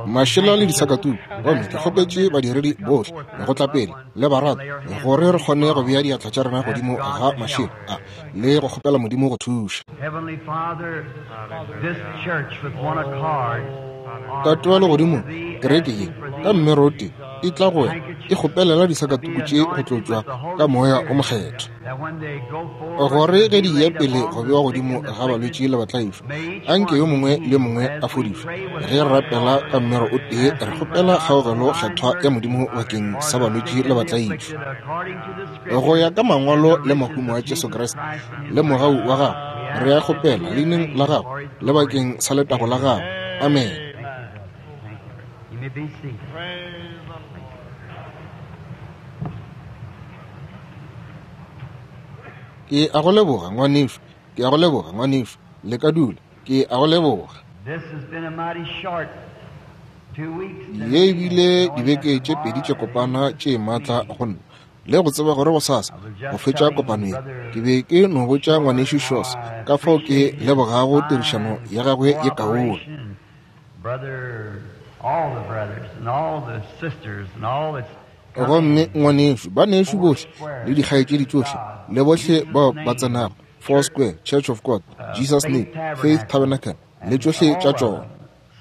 Mašela le disakatuku. Gomme ke kgopetše badiredi bohle go tla pele, le baratwa, gore re kgone go bea diatla tša rena godimo ga mašela a le go kgopela Modimo go thuša. Tate wa Legodimong, kereke ye, ka mmero o tee, e tla go wena e kgopelela disakatuku tše go tlotšwa ka Moya o Mokgethwa, gore ge di eya pele go bewa godimo ga balwetši le batlaišwa, anke yo mongwe le yo mongwe a fodišwe. Ge re rapela ka mmero o tee, re kgopela kgaogelo kgethwa ya Modimo bakeng sa balwetši le batlaišwa. Go ya ka Mangwalo le mahumo a Jesu Kriste le mogau wa Gagwe, re a kgopela Leineng la Gagwe le bakeng sa letago la Gagwe. Amene. You may be seated. Ke a go leboga, ngwanešu. Ke a go leboga, ngwanešu. Le ka dula. Ke a go leboga. This has been a mighty short 2 weeks. Ye e bile dibeke tše pedi tše kopana tše maatla go nna, le go tseba gore gosasa go fetša kopano ye. Ke be ke no botša ngwanešu Shores ka fao ke lebogago tirišano ya gagwe ye kaone. Brother, all the brothers and all the sisters and all that's Gomme ngwanešu, banešu bohle le dikgaetšedi tšohle le bohle bao ba tsenago Four Square, Church of God, Jesus Name, Faith Tabernacle le tšohle tša tšona,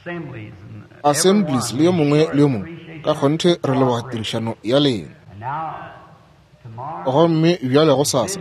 assemblies and assemblies le yo mongwe le yo mongwe, ka kgonthe re leboga tirišano ya lena. And now tomorrow Gomme bjale gosasa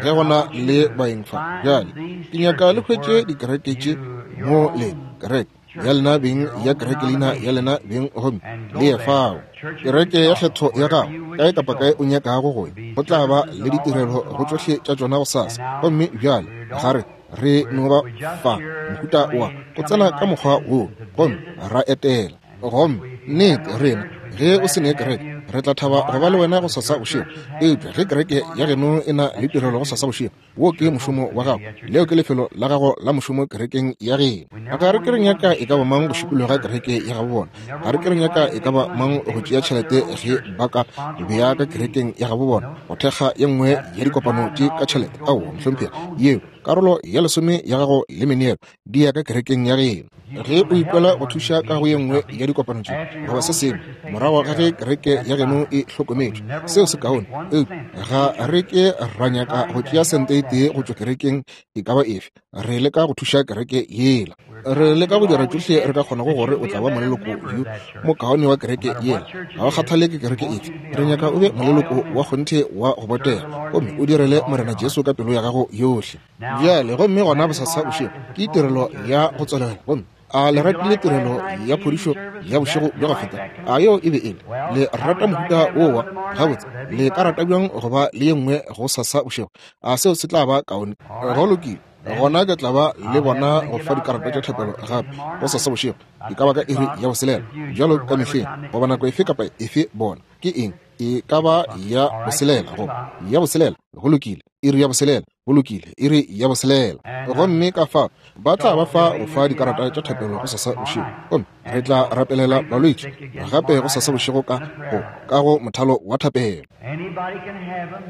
ge go na le baeng fa, bjale ke nyaka le hwetše dikereke tše mo le kereke ya lena beng ya kerekelina ya lena beng, gomme le ye fao. Kereke ya kgetho ya gago, kae kapa kae o nyakago go ya, go tla ba le ditirelo go tšohle tša tšona gosasa. Gomme bjale ga re re no ba fa mohuta wa go tsena ka mokgwa wo gomme ra etela. Gomme nnete rena, ge o se ne kereke, re tla thaba go ba le wena gosasa bošego. Eupša ge kereke ya geno e na le tirelo gosasa bošego, wo ke mošomo wa gago, leo ke lefelo la gago la mošomo kerekeng ya geno. Ga re ke re nyaka e ka ba mang go šikologa kereke ya gabo bona. Ga re ke re nyaka e ka ba mang go tšea tšhelete ge ba ka bea ka kerekeng ya gabo bona go thekga ye nngwe ya dikopano tše ka tšhelete. Aowa, mohlomphegi, yeo karolo ya lesome ya gago le meneelo di ya ka kerekeng ya geno. Ge o ikwela go thuša ka go ye nngwe ya dikopano tše goba se sengwe morago ga ge kereke ya geno e hlokometšwe, seo se kaone. Eupša ga re ke ra nyaka go tšea sente e tee go tšwa kerekeng e ka ba efe. Re leka go thuša kereke yela. Re leka go dira tšohle re ka kgonago gore o tla ba moleloko yo mokaone wa kereke yela. Ga go kgathale ke kereke efe, re nyaka o be moleloko wa kgonthe wa go botega gomme o direle Morena Jesu ka pelo ya gago yohle. Bjale, gomme gona bosasa bošego ke tirelo ya go tswalela. Gomme a le ratile tirelo ya phodišo ya bošego bja go feta? A yeo e be e le? Le rata mohuta wo wa gabotse? Le ka rata bjang go ba le ye nngwe go sasa bošego? A seo se tla ba kaone? Go lokile, gona ke tla ba le bona go fa dikarata tša thapelo gape go sasa bošego, e ka ba ka iri ya boselela, bjalo ka mehleng, goba nako efe kapa efe. Bona ke eng? E ka ba ya boselela goba ya boselela. Go lokile, iri ya boselela. Go lokile, iri ya boselela. Gomme ka fa ba tla ba fa go fa dikarata tša thapelo go sasa bošego, gomme re tla rapelela balwetši gape go sasa bošego ka go ka go mothalo wa thapelo. Anybody can have them.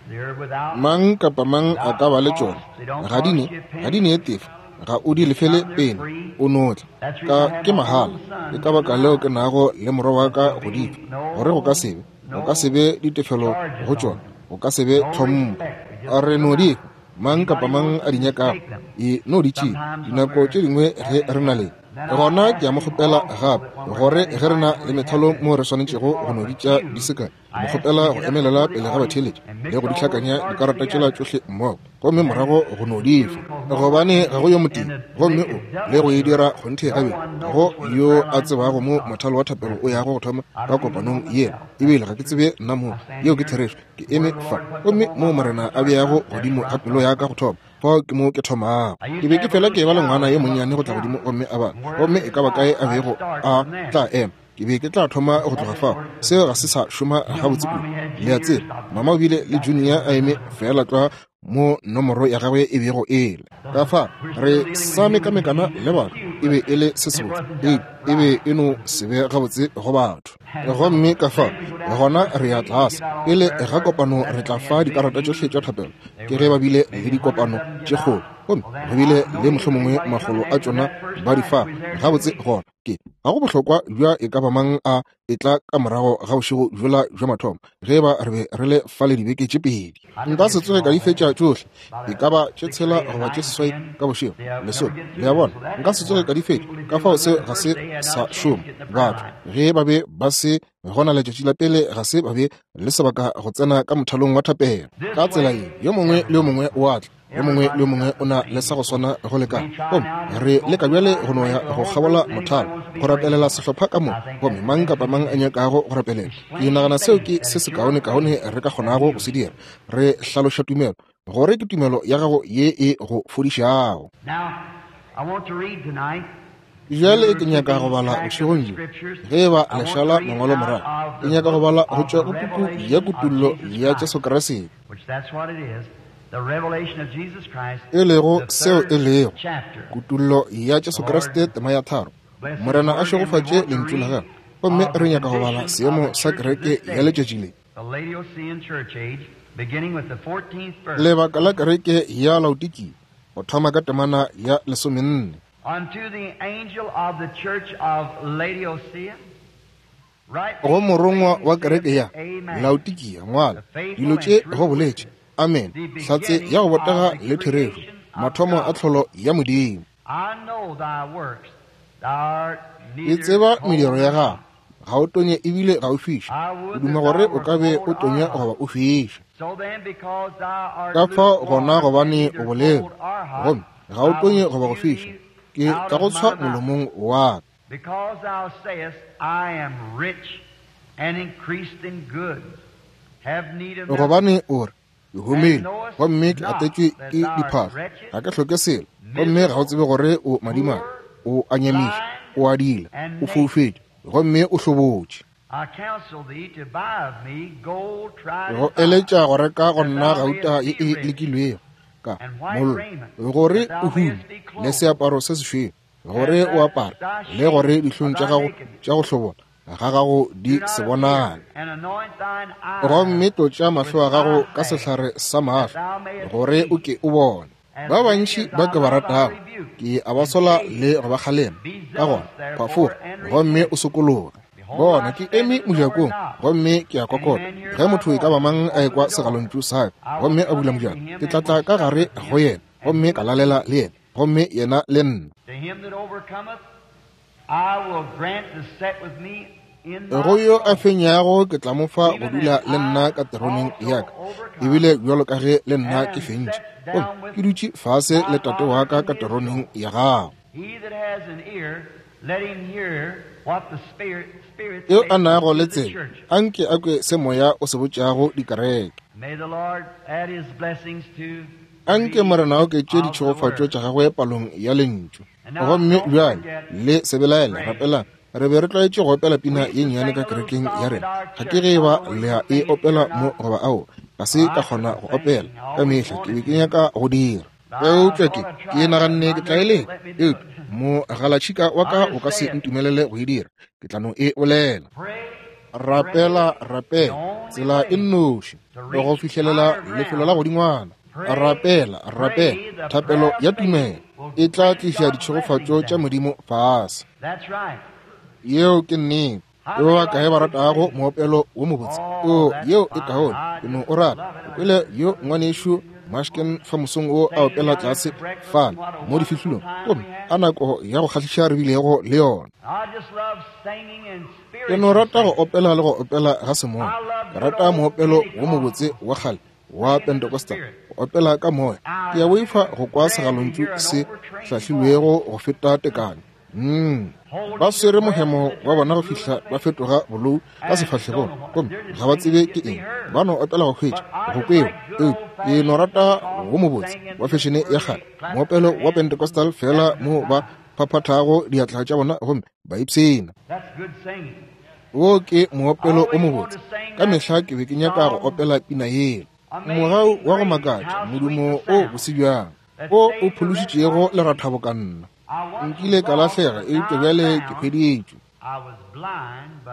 They're without Mang kapa mang a ka ba le tšona. Ga di ne, ga di ne tefo, ga o di lefele pene, o no tla. Ka ke mahala. Ke ka baka leo ke nago le morwa wa ka go di fa, gore go ka se be, go ka se be ditefelo go tšona, go ka se be tlhompho. Re no di fa mang kapa mang a di nyakago, e no di tšea. Dinako tše dingwe ge re na le, gona ke a mo kgopela gape gore ge re na le methalo moo re swanetšego go no bitša di se kae, mo kgopela go emelela pele ga batheeletši le go di hlakanya dikarata tšela tšohle mmogo, gomme morago go no di fa, gobane ga go yo motee, gomme o le go e dira kgonthe gabedi, ga go yo a tsebago mo mothalo wa thapelo o yago go thoma ka kopanong yela. Ebile ga ke tsebe nna moo. Yeo ke therešo. Ke eme fa, gomme moo Morena a beago godimo ga pelo ya ka go thoma, fao ke mo ke thomago. Ke be ke fela ke eba le ngwana yo monnyane go tla godimo gomme a bala, gomme e ka ba kae a bego a tla ema, ke be ke tla thoma go tloga fao. Seo ga se sa šoma gabotse kudu, le a tseba. Mama o bile le Junior a eme feela tlwa mo nomoro ya gagwe e bego e le. Ka fa re sa mekamekana le batho, e be e le se sebotse, eupša e be e no se be gabotse go batho. Gomme ka fa gona re ya tlase pele ga kopano, re tla fa dikarata tšohle tša thapelo. Ke ge ba bile le dikopano tše kgolo. Gomme go bile le mohlomongwe makgolo a tšona ba di fa. Gabotse gona, ke ga go bohlokwa bja e ka ba mang a etla ka morago ga bošego bjola bja mathomo, ge eba re be re le fale dibeke tše pedi. Nka se tsoge ka di fetša tšohle, e ka ba tše tshela goba tše seswai ka bošego, lesome. Le a bona, nka se tsoge ka di fetša, ka fao seo ga se sa šoma. Batho, ge ba be ba se gona letšatši la pele, ga se ba be le sebaka go tsena ka mothalong wa thapelo. Ka tsela ye, yo mongwe le yo mongwe o a tla, yo mongwe le yo mongwe o na le sa go swana go lekana. Gomme re leka bjale go no ya go kgabola mothalo, go rapelela sehlopha ka moka, gomme mang kapa mang a nyakago go rapelela. Ke nagana seo ke se sekaonekaone re ka kgonago go se dira. Re hlaloša tumelo, gore ke tumelo ya gago ye e go fodišago. Bjale ke nyaka go bala bošegong bjo, ge e ba le šala mangwalo morago, ke nyaka go bala go tšwa go puku ya Kutullo ya Jesu Kriste, e lego seo e lego Kutullo ya Jesu Kriste, tema ya tharo. Morena a šegofatše Lentšu la Gagwe. Gomme re nyaka go bala seemo sa kereke ya letšatši le. Lebaka la kereke ya Laodikia, go thoma ka temana ya lesomenne. Go morongwa wa kereke ya Laodikia ngwala, dilo tše go boletše Amen, hlatse ya go botega le therešo, mathomo a tlholo ya Modimo. Ke tseba mediro ya gago, ga o tonye ebile ga o fiše. O duma gore o ka be o tonya goba o fiša. Ka fao gona gobane o bolelo, gomme ga o tonye goba go fiša, ke tla go tshwa molomong wa ka. Gobane o re, Ke humile, gomme ke atetšwe ke diphahlo, ga ke hloke selo, gomme ga o tsebe gore o madimabe, o a nyamiša, o a diila, o foufetše, gomme o hlobotše. Ke go eletša go reka go nna gauta ye e lekilwego ka mollo, gore o hume, le seaparo se sešweu, gore o apare, le gore dihlong tša gago tša go hlobola ga gago di se bonale. Gomme tlotša mahlo a gago ka sehlare sa mahlo, gore o ke o bone. Ba bantši ba ke ba ratago, ke a ba sola le go ba kgalema. Ka gona, phafoga gomme o sokologe. Bona, ke eme mojakong gomme ke a kokota. Ge motho e ka ba mang a ekwa segalontšu sa ka gomme a bula mojako, ke tla tla ka gare go yena gomme ka lalela le yena, gomme yena le nna. Go yo a fenyago ke tla mo fa go dula le nna ka teroneng ya ka, ebile bjalo ka ge le nna ke fentše gomme ke dutše fase le Tate wa ka ka teroneng ya gagwe. Yo a nago le tsebe, anke a kwe se Moya o se botšago dikereke. Anke Morena a oketše ditšhegofatšo tša gagwe palong ya Lentšu. Gomme bjale, le se belaele, rapelang. Re be re tlwaetše go opela pina ye nnyane ka kerekeng ya rena. Ga ke ge eba le a e opela mo goba ao. Ga se ka kgona go opela ka mehla, ke be ke nyaka go dira. Eupša ke, ke naganne ke tla e leka. Eupša mogalatšhika wa ka o ka se ntumelele go e dira. Ke tla no e bolela. Rapela, rapela, tsela e nnoši go fihlelela lefelo la godingwana. Rapela, rapela, thapelo ya tumelo e tla tliša ditšhegofatšo tša Modimo fase. Yeo ke nnete. Ke ba bakae ba ratago moopelo wo mobotse? O, yeo e kaone. Ke no o rata. O kwele yo ngwanešu Mashken fa mosong wo a opela tlase fale mo difihlolong, gomme a nako ya go kgahliša re bilego le yona. Ke no rata go opela le go opela ga semoya. Ke rata moopelo wo mobotse wa kgale wa Pentecostal, go opela ka moya. Ke a boifa go kwa segalontšu se hlahlilwego go feta tekano. Mm. Ba swere mohemo wa bona go fihla ba fetoga bolou ka sefahlegong, gomme ga ba tsebe ke eng. Ba no opela go hwetša go kwewa. Eupša ke no rata wo mobotse wa fešene ya kgale, moopelo wa Pentecostal, feela mo ba phaphathago diatla tša bona gomme ba ipshina. Wo ke moopelo o mobotse. Ka mehla ke be ke nyaka go opela pina yela. Mogau wa go makatša, modumo o bose bjang, o o phološitšego lerathabo ka nna. Nkile ka lahlega, eupša bjale ke hweditšwe.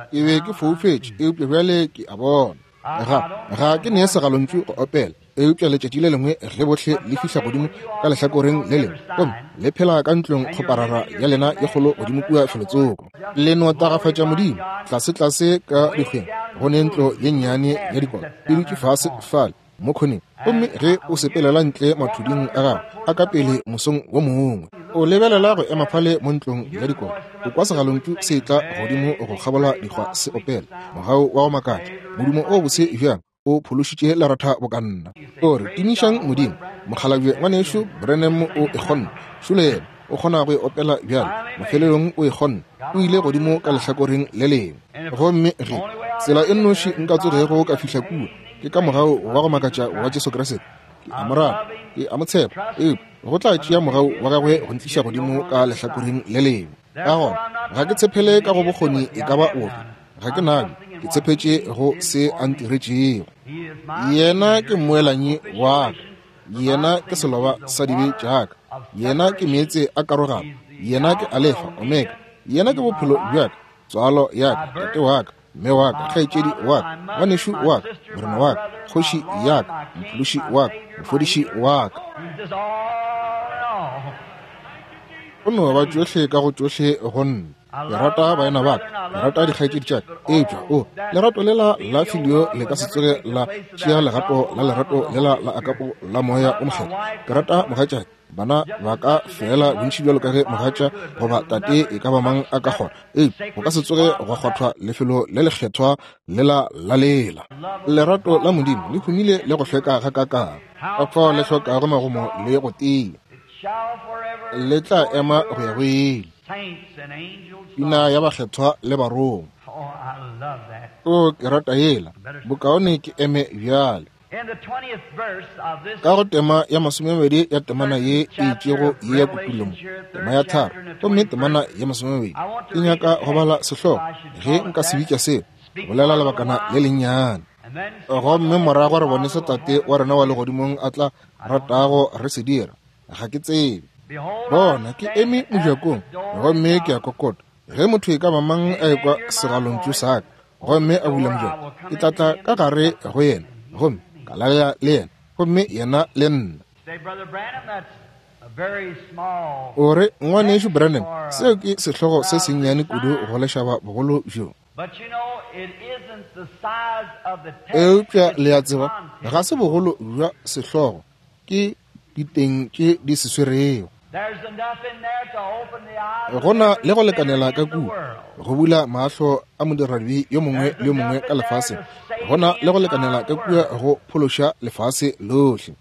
Ke be ke foufetše, eupša bjale ke a bona. Ga, ga ke ne segalontšu go opela. Eupša letšatši le lengwe ge bohle le fihla godimo ka lehlakoreng le lengwe, gomme le phela ka ntlong kgoparara ya lena ye kgolo godimo kua felotsoko, le no tagafatša Modimo. Tlasetlase ka dikgweng go ne ntlo ye nnyane ya dikota e dutše fase fale mo khoneng, gomme ge o sepelela ntle mathuding a gago a ka pele mosong wo mongwe, o lebelela go ema fale mo ntlong ya dikota, o kwa segalontšu se etla godimo go kgabola dikgwa se opela mogau wa go makatša, modumo o bose bjang o phološitše leratha boka nna. O re, Tumišang Modimo. Mokgalabje ngwanešu Branham o e kgonne. Šole yena, o kgona go e opela bjale. Mafelelong o e kgonne. O ile godimo ka lehlakoreng le lengwe. Gomme ge tsela e nnoši nka tsogego ka fihla kua ke ka mogau wa go makatša wa Jesu Kriste. Ke a mo rata, ke a mo tshepa, eupša go tla tšea mogau wa gagwe go ntliša godimo ka lehlakoreng le lengwe. Ka gona ga ke tshepele ka go bokgoni e ka ba ofe, ga ke nabjo, ke tshepetše go se a ntiretšego. Yena ke mmoelanyi wa ka, yena ke seloba sa dibe tša ka, yena ke meetse a karogano, yena ke Alefa Omega, yena ke bophelo bja ka, tswalo ya ka, tate wa ka, mme wa ka, kgaetšedi wa ka, ngwanešu wa ka, morena wa ka, kgoši ya ka, mophološi wa ka, mofodiši wa ka. O no ba tšohle ka go tšohle go nna. Ke rata baena ba ka, ke rata dikgaetšedi tša ka, eupša o lerato lela la filio le ka se tsoge la tšea legato la lerato lela la akapo la Moya o Mokgethwa. Ke rata mogatšake, bana ba ka feela bontši bjalo ka ge mogatša goba tate e ka ba mang a ka kgona, eupša go ka se tsoge gwa kgwathwa lefelo le lekgethwa lela la lela. Lerato la Modimo le humile le go hlweka gakaakang, ka fao le hlokago magomo le go tia, le tla ema go ya go ile. Pina ya bakgethwa le barongwa. O, ke rata yela. Bokaone ke eme bjale. Ka go tema ya masomemabedi ya temana ye e itšego ye ya Kutullo mo, tema ya tharo, gomme temana ya masomemabedi, ke nyaka go bala sehlogo, ge nka se bitša seo, bolela lebakana le lennyane. Gomme morago re bone se Tate wa rena wa Legodimong a tla ratago re se dira. Ga ke tsebe. Bona, ke eme mojakong, gomme ke a kokota. Ge motho e ka ba mang a ekwa segalontšu sa ka, gomme a bula mojako, ke tla tla ka gare go yena, gomme ka lalela le yena, gomme yena le nna. O re, Ngwanešu Branham, seo ke sehlogo se sennyane kudu go lešaba bogolo bjo. Eupša le a tseba, ga se bogolo bja sehlogo, ke diteng tše di se swerego. Go na le go lekanela ka kua go bula mahlo a modiradibe yo mongwe le yo mongwe ka lefaseng. Go na le go lekanela ka kua go phološa lefase lohle.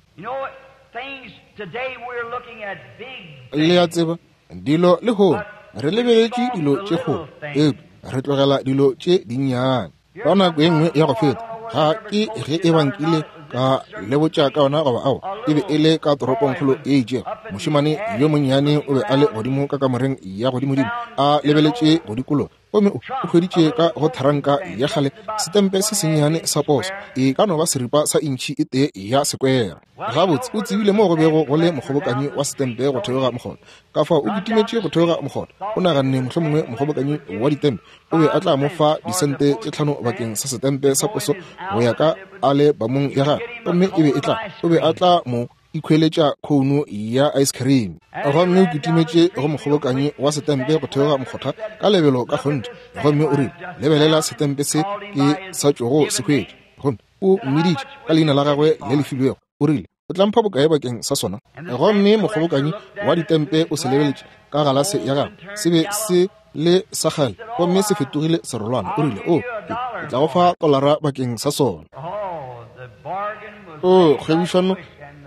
Le a tseba, dilo lehono re lebeletše dilo tše kgolo, eupša re tlogela dilo tše dinnyane. Ka nako e nngwe ya go feta, ga ke ge e ba nkile ka le botša ka yona goba aowa, e be e le ka toropongkgolo e itšego. Mošemane yo monnyane o be a le godimo ka kamoreng ya godimodimo, a lebeletše go dikologa, gomme o hweditše ka go tharanka ya kgale setempe se sennyane sa poso, e ka no ba seripa sa intšhi e tee ya sekwere. Gabotse, o tsebile moo go bego go le mokgobokanyi wa setempe go theoga mokgotha. Ka fao o kitimetše go theoga mokgotha, o naganne mohlomongwe mokgobokanyi wa ditempe o be a tla mo fa disente tše tlhano bakeng sa setempe sa poso go ya ka alebamong ya gagwe, gomme e be e tla, o be a tla mo ikhweletša khouno ya ice cream. Gomme o kitimetše go mokgobokanyi wa setempe go theoga mokgotha ka lebelo ka kgonthe, gomme o rile, Lebelela setempe se ke sa tšogo se hwetša. Gomme o mmiditše ka leina la gagwe le le filwego, o rile, O tla mpha bokae bakeng sa sona? Gomme mokgobokanyi wa ditempe o se lebeletše ka galase ya gagwe, se be se le sa kgale gomme se fetogile serolwana. O rile, O, ke, ke tla go fa tolara bakeng sa sona. O, kgwebišano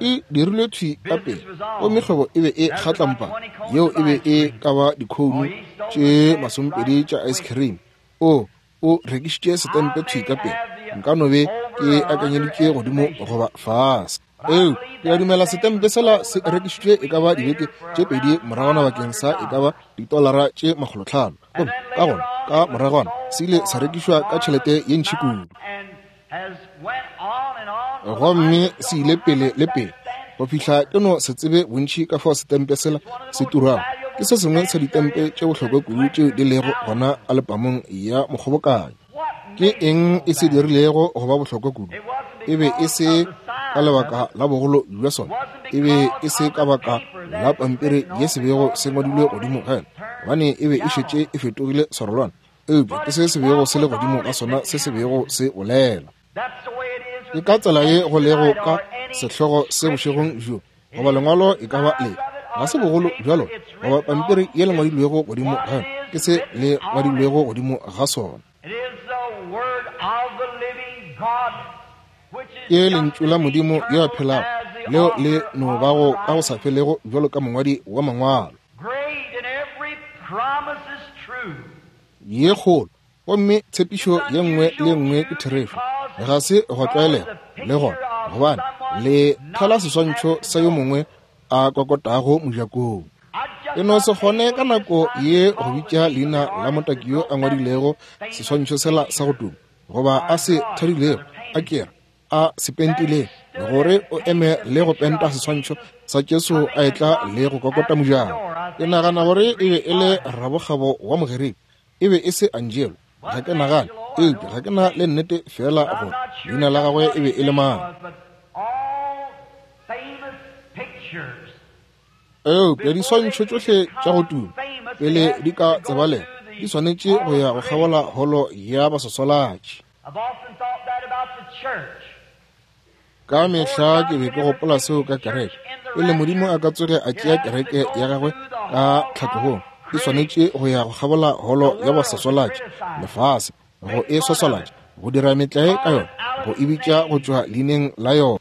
e dirilwe thwi ka pele, gomme kgwebo e be e kgatlampa. Yeo e be e ka ba dikhounu tše masomepedi tša ice cream. O, o rekišitše setempe thwi ka pele. Nka no be ke akanyeditše godimo goba fase. Eo, ke a dumela setempe sela se rekišitšwe e ka ba dibeke tše pedi moragwana bakeng sa e ka ba ditolara tše makgolotlhano. Gomme ka gona, ka moragwana, se ile sa rekišwa ka tšhelete ye ntši kudu. Gomme se ile pele le pele go fihla ke no se tsebe bontši ka fao setempe sela se turago. Ke se sengwe sa ditempe tše bohlokwa kudu tšeo di lego gona alepamong ya mokgobokanyo. Ke eng e se dirilego go ba bohlokwa kudu? E be e se ka lebaka la bogolo bja sona, e be e se ka baka la pampiri ye se bego se ngwadilwe godimo ga yona, gobane e be e šetše e fetogile serolwana, eupša ke se se bego se le godimo ga sona se se bego se bolela. Ke ka tsela ye go lego ka sehlogo se bošegong bjo, goba lengwalo e ka ba le ga se bogolo bja lona, goba pampiri ye le ngwadilwego godimo ga yona, ke se le ngwadilwego godimo ga sona. Ke lentšu la Modimo yo a phelago, leo le no bago ka go sa felego bjalo ka mongwadi wa mangwalo. Ye kgolo, gomme tshepišo ye nngwe le ye nngwe ke therešo. Ga se gwa tlwaelega le gona, gobane le thala seswantšho sa yo mongwe a kokotago mojakong. E no se kgone ka nako ye go bitša leina la motaki yo a ngwadilego seswantšho sela sa go tuma, goba a se thadilego, a kere a se pentilego, gore o eme le go penta seswantšho sa Jesu a etla le go kokota mojako. Ke nagana gore e be e le rabokgabo wa Mogerika, e be e se Angelo, ga ke nagane, eupša ga ke na le nnete feela gore leina la gagwe e be e le mang. Eupša diswantšho tšohle tša go tuma pele di ka tsebalega di swanetše go ya go kgabola holo ya baswaswalatši. Ka mehla ke be ke gopola seo ka kereke. Pele Modimo a ka tsoge a tšea kereke ya gagwe ka tlhatlogong, e swanetše go ya go kgabola holo ya baswaswalatši, lefase, go e swaswalatša, go dira metlae ka yona, go e bitša go tšwa leineng la yona.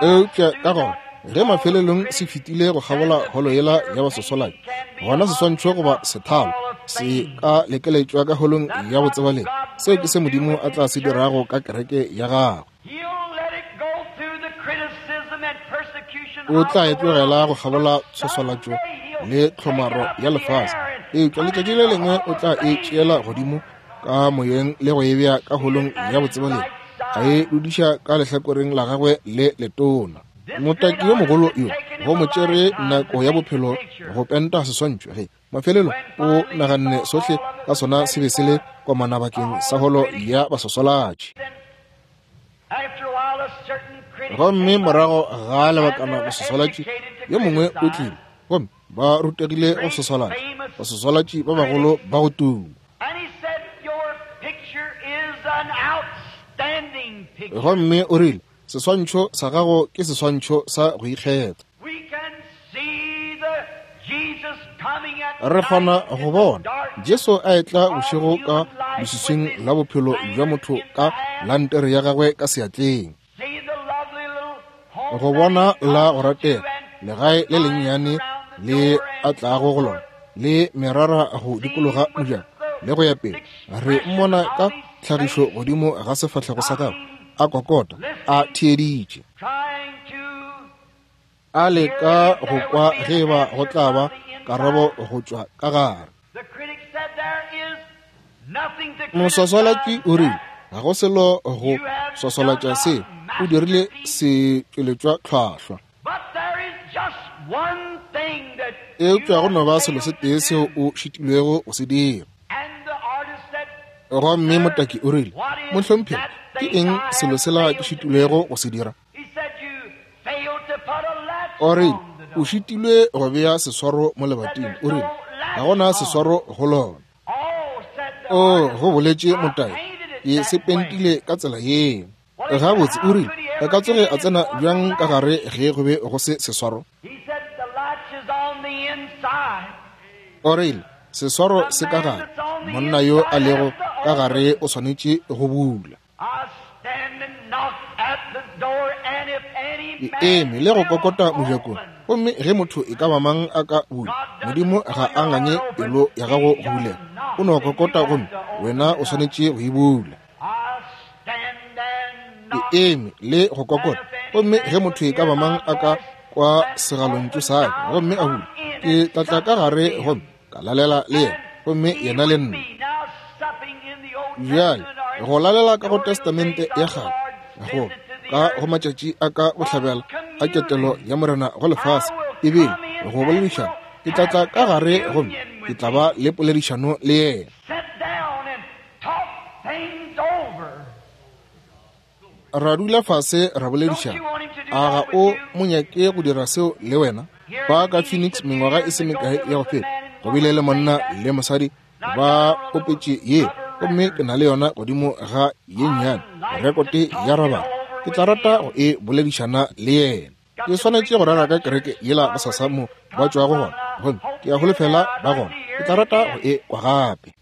Eupša ka gona ge mafelelong se fetile go kgabola holo yela ya baswaswalatši, gona seswantšho goba sethalo se ka lekeletšwa ka holong ya botsebalegi. Seo ke se Modimo a tla se dirago ka kereke ya gagwe. O tla e tlogela go kgabola tshwaswalatšo le tlhomaro ya lefase, eupša letšatši le lengwe o tla e tšeela godimo ka moyeng le go e bea ka holong ya botsebalegi, a e dudiša ka lehlakoreng la gagwe le letona. Motaki yo mogolo yo go mo tšere nako ya bophelo go penta seswantšho, ge mafelelo o naganne sohle ka sona se be se le komana bakeng sa holo ya baswaswalatši. Gomme morago ga lebakana moswaswalatši yo mongwe o tlile, gomme ba rutegile go swaswalatša, baswaswalatši ba bagolo ba go tuma. Gomme o rile, Seswantšho sa gago ke seswantšho sa go ikgetha. Re kgona go bona Jesu a etla bošego ka leswiswing la bophelo bja motho ka lantere ya gagwe ka seatleng. Go bona la go ratega legae le lennyane le a tlago go lona, le merara go dikologa mojako le go ya pele. Re mmona ka tlhagišo godimo ga sefahlego sa gagwe, a kokota, a theeditše, a leka go kwa ge eba go tla ba karabo go tšwa ka gare. Moswaswalatši o rile, ga go selo go swaswalatša seo, o dirile setšweletšwa tlhwahlwa. Eupša go no ba selo se tee seo o šitilwego go se dira. Gomme motaki o rile, Mohlomphegi, ke eng selo sela ke šitilwego go se dira? O rile, O šitilwe go bea seswaro mo lebating. O rile, Ga go na seswaro go lona. O, go boletše motaki, ke se pentile ka tsela yeo. Gabotse, o rile, a ka tsoge a tsena bjang ka gare ge go be go se seswaro? O rile, Seswaro se ka gare. Monna yo a lego ka gare o swanetše go bula. Ke eme le go kokota mojakong, gomme ge motho e ka ba mang a ka bula, Modimo ga a nganye pelo ya gago go bulega. O no kokota gomme wena o swanetše go e bula. Ke eme le go kokota, gomme ge motho e ka ba mang a ka kwa segalontšu sa ka gomme a bula, ke tla tla ka gare gomme ka lalela le yena, gomme yena le nna. Bjale, go lalela ka go Testamente ya Kgale, go ka go matšatši a ka bohlabela a ketelo ya Morena go lefase, ebile go boledišana, ke tla tla ka gare gomme ke tla ba le poledišano le yena. Ra dula fase ra boledišana. A ga o mo nyake go dira seo le wena? Fa ka Phoenix mengwaga e se mekae ya go feta, go bile le monna le mosadi ba opetše ye, gomme ke na le yona godimo ga ye nnyane rekote ya rabara. Ke tla rata go e boledišana le yena. Ke swanetše go rera ka kereke yela bosasa mo ba tšwago gona, gomme ke a holofela ba gona. Ke tla rata go e kwa gape.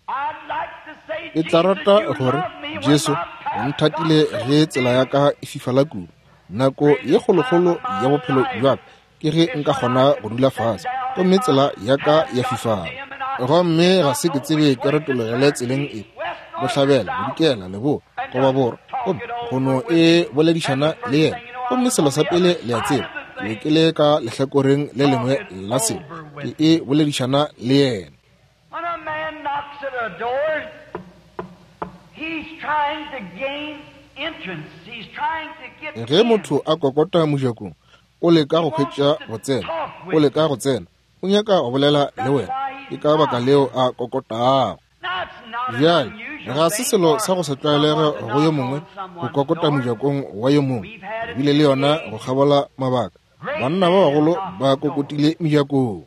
Ke tla rata gore, Jesu, o nthatile ge tsela ya ka e fifala kudu. Nako ye kgolokgolo ya bophelo bja ka ke ge nka kgona go dula fase, gomme tsela ya ka ya fifala. Gomme ga se ke tsebe ke retologele tseleng e, bohlabela, bodikela, leboa, goba borwa, gomme go no e boledišana le yena. Gomme selo sa pele le a tseba, ke be ke le ka lehlakoreng le lengwe la selo, ke e boledišana le yena. When a man knocks at a door, he's trying to gain entrance. He's trying to get Ge motho a kokota mojakong, o leka go hwetša go tsena. O leka go tsena. O nyaka go bolela le wena. Ke ka baka leo a kokotago. Bjale, ga se selo sa go se tlwaelege go yo mongwe go kokota mojakong wa yo mongwe. Re bile le yona go kgabola mabaka. Banna ba bagolo ba kokotile mejakong.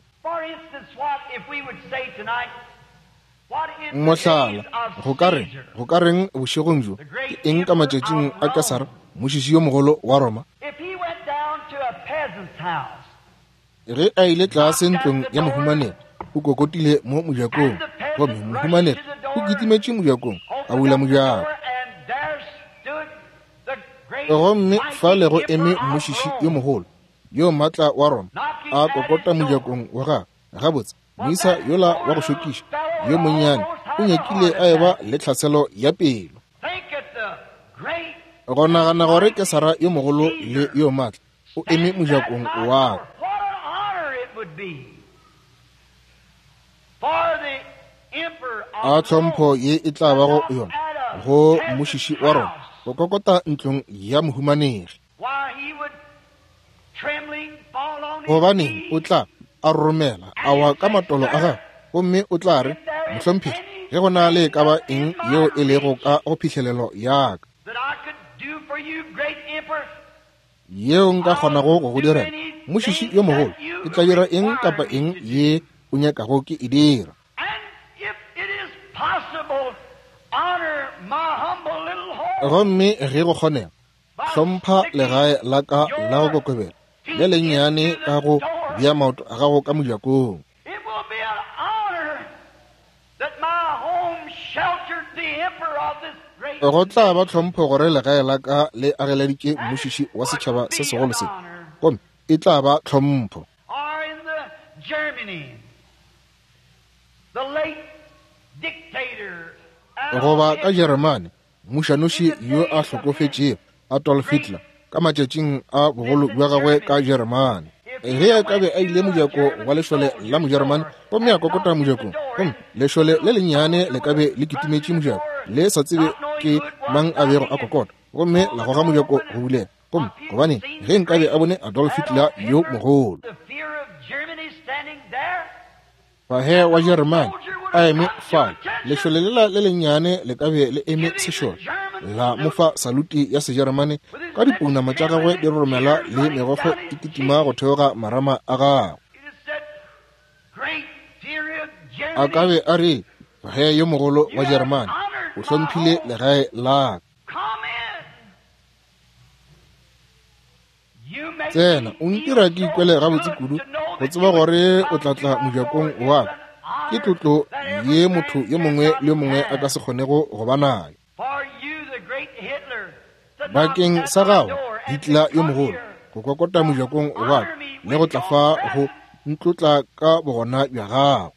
Mohlala, go ka reng, go ka reng bošegong bjo, ke eng ka matšatšing a Kesara, mmušiši yo mogolo wa Roma? Ge a ile tlase ntlong ya mohumanegi, o kokotile mo mojakong, gomme mohumanegi o kitimetše mojakong, a bula mojako. Gomme fale go eme mmušiši yo mogolo yo maatla wa Roma, a kokota mojakong wa gagwe. Gabotse, moisa yola wa go šokiša yo monnyane o nyakile a eba le tlhaselo ya pelo. Go nagana gore Kesara yo mogolo le yo maatla o eme mojakong wa ka. A tlhompho ye e tla bago yona go mmušiši wa Roma go kokota ntlong ya mohumanegi. Gobaneng, o tla a roromela, a wa ka matolo a gagwe, gomme o tla re, Mohlomphegi, ge go na le e ka ba eng yeo e lego ka go phihlelelo ya ka, yeo nka kgonago go go direla, mmušiši yo mogolo, ke tla dira eng kapa eng ye o nyakago ke e dira. Gomme ge go kgonega, hlompha legae la ka la go kokobela le lennyane ka go bea maoto a gago ka mojakong. Go tla ba tlhompho gore legae la ka le ageleditše mmušiši wa setšhaba se segolo se, gomme e tla ba tlhompho. Goba ka Jeremane, mmušanoši yo a hlokofetšego Adolf Hitler ka matšatšing a bogolo bja gagwe ka Jeremane. Ge a ka be a ile mojako wa lešole la Mojeremane gomme a kokota mojakong, gomme lešole le lennyane le ka be le kitimetše mojako le sa tsebe ke mang a bego a kokota, gomme la goga mojako go bulega. Gomme gobane ge nkabe a bone Adolf Hitler yo mogolo, Fahe wa Jeremane a eme fale, lešole lela le lennyane le ka be le eme sešole, la mo fa saluti ya Sejeremane ka dipounama tša gagwe di roromela le megokgo e kitima go theoga marama a gagwe. A ka be a re, Fahe yo mogolo wa Jeremane, o hlomphile legae la ka. Tsena, o ntira ke ikwele gabotse kudu go tseba gore o tla tla mojakong wa ka. Ke tlotlo ye motho yo mongwe le yo mongwe a ka se kgonego go ba nayo. Bakeng sa gago, Hitler yo mogolo, go kokota mojakong wa ka le go tla fa go ntlotla ka bogona bja gago.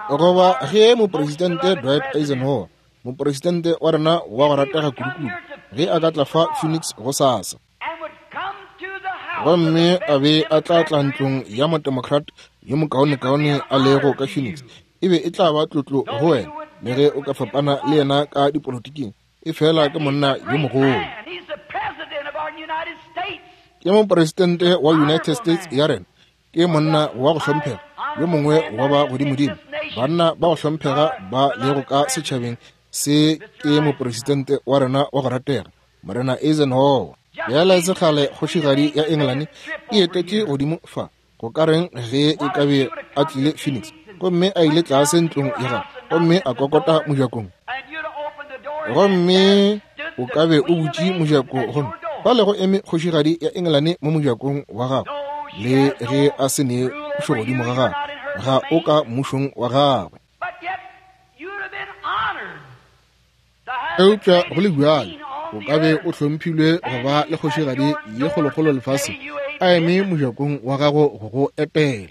Goba ge Mopresidente Dwight Eisenhower, mopresidente wa rena wa go ratega kudukudu, ge a ka tla fa Phoenix gosasa, gomme a be a tla tla ntlong ya motemocrat yo mokaonekaone a lego ka Phoenix, e be e tla ba tlotlo go wena, le ge o ka fapana le yena ka dipolotiking, e fela ke monna yo mogolo. Ke mopresidente wa United States ya rena. Ke monna wa go hlomphega, yo mongwe wa ba godimodimo, banna ba go hlomphega ba lego ka setšhabeng Se ke mopresidente wa rena wa go ratega, Morena Eisenhower. Bjale e se kgale kgošigadi ya Engelane e etetše godimo fa. Go ka reng ge e ka be a tlile Phoenix gomme a ile tlase ntlong ya gagwe gomme a kokota mojakong? Gomme o ka be o butše mojako gomme fale go eme kgošigadi ya Engelane mo mojakong wa gagwe, le ge a se ne pušo godimo ga gagwe, ga o ka mmušong wa gagwe. Eupša go le bjalo o ka be o hlomphilwe go ba le kgošigadi ye kgolokgolo lefaseng a eme mojakong wa gago go go etela.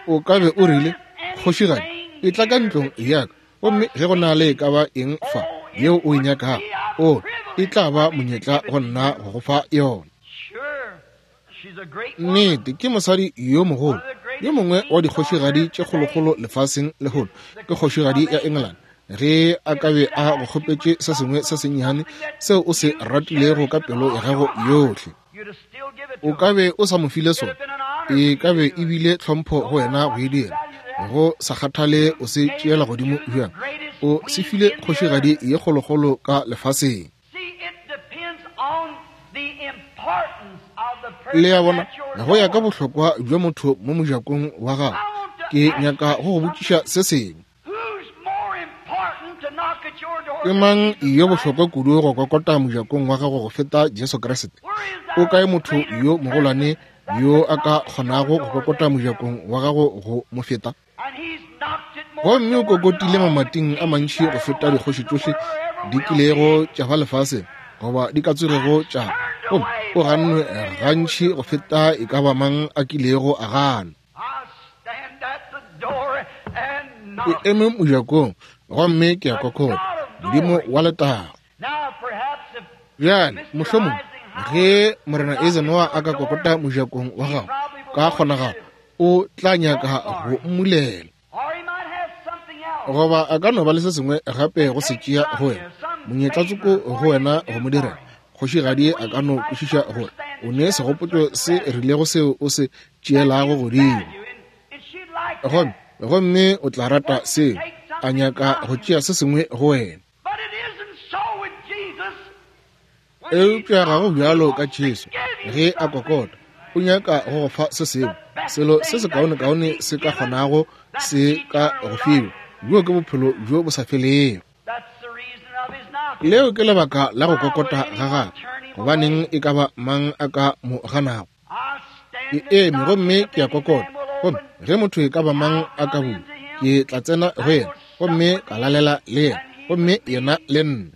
O ka be o rile, Kgošigadi, etla ka ntlong ya ka, gomme ge go na le e ka ba eng fa yeo o e nyakago, o, e tla ba monyetla go nna go go fa yona. Nnete, ke mosadi yo mogolo, yo mongwe wa dikgošigadi tše kgolokgolo lefaseng lehono, ke kgošigadi ya England. Ge a ka be a go kgopetše se sengwe se sennyane seo o se ratilego ka pelo ya gago yohle, o ka be o sa mo file sona. E ka be e bile tlhompho go wena go e dira, go sa kgathale o se tšeela godimo bjang. O se file kgošigadi ye kgolokgolo ka lefaseng. Le a bona, go ya ka bohlokwa bja motho mo mojakong wa gago. Ke nyaka go go botšiša se sengwe. Ke mang yo bohlokwa kudu go kokota mojakong wa gago go feta Jesu Kriste? O kae motho yo mogolwane yo a ka kgonago go kokota mojakong wa gago go mo feta? Gomme o kokotile mamating a mantši go feta dikgoši tšohle di kilego tša ba lefaseng goba di ka tsogego tša, gomme o gannwe gantši go feta e ka ba mang a kilego a gana. Ke eme mojakong gomme ke a kokota, Modimo wa letago. Bjale, mohlomongwe ge Morena Eisenhower a ka kokota mojakong wa gago, ka kgonagalo o tla nyaka go mmulela, goba a ka no ba le se sengwe gape go se tšea go wena, monyetlatsoko go wena go mo direla. Kgošigadi a ka no kwešiša gore o ne segopotšo se rilego seo o se tšeelago godimo, gomme, gomme o tla rata seo, a nyaka go tšea se sengwe go wena. Eupša ga go bjalo ka Jesu. Ge a kokota, o nyaka go go fa se sengwe, selo se sekaonekaone se ka kgonago se ka go fiwa. Bjo ke bophelo bjo bo sa felego. Leo ke lebaka la go kokota ga gagwe. Gobaneng e ka ba mang a ka mo ganago? Ke eme gomme ke a kokota, gomme ge motho e ka ba mang a ka bula, ke tla tsena go yena gomme ka lalela le yena, gomme yena le nna.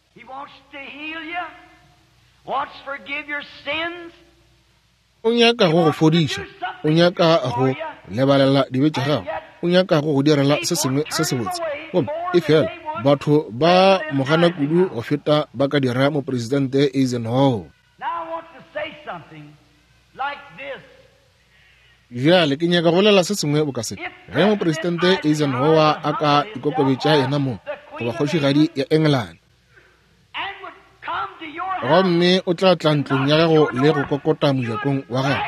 O nyaka go go fodiša, o nyaka go lebalela dibe tša gago, o nyaka go go direla se sengwe se sebotse, gomme efela batho ba mo gana kudu go feta ba ka dira Mopresidente Eisenhower. Bjale ke nyaka go bolela se sengwe boka se. Ge Mopresidente Eisenhower a ka ikokobetša yena mong goba kgošigadi ya Engelane, gomme o tla tla ntlong ya gago le go kokota mojakong wa gago,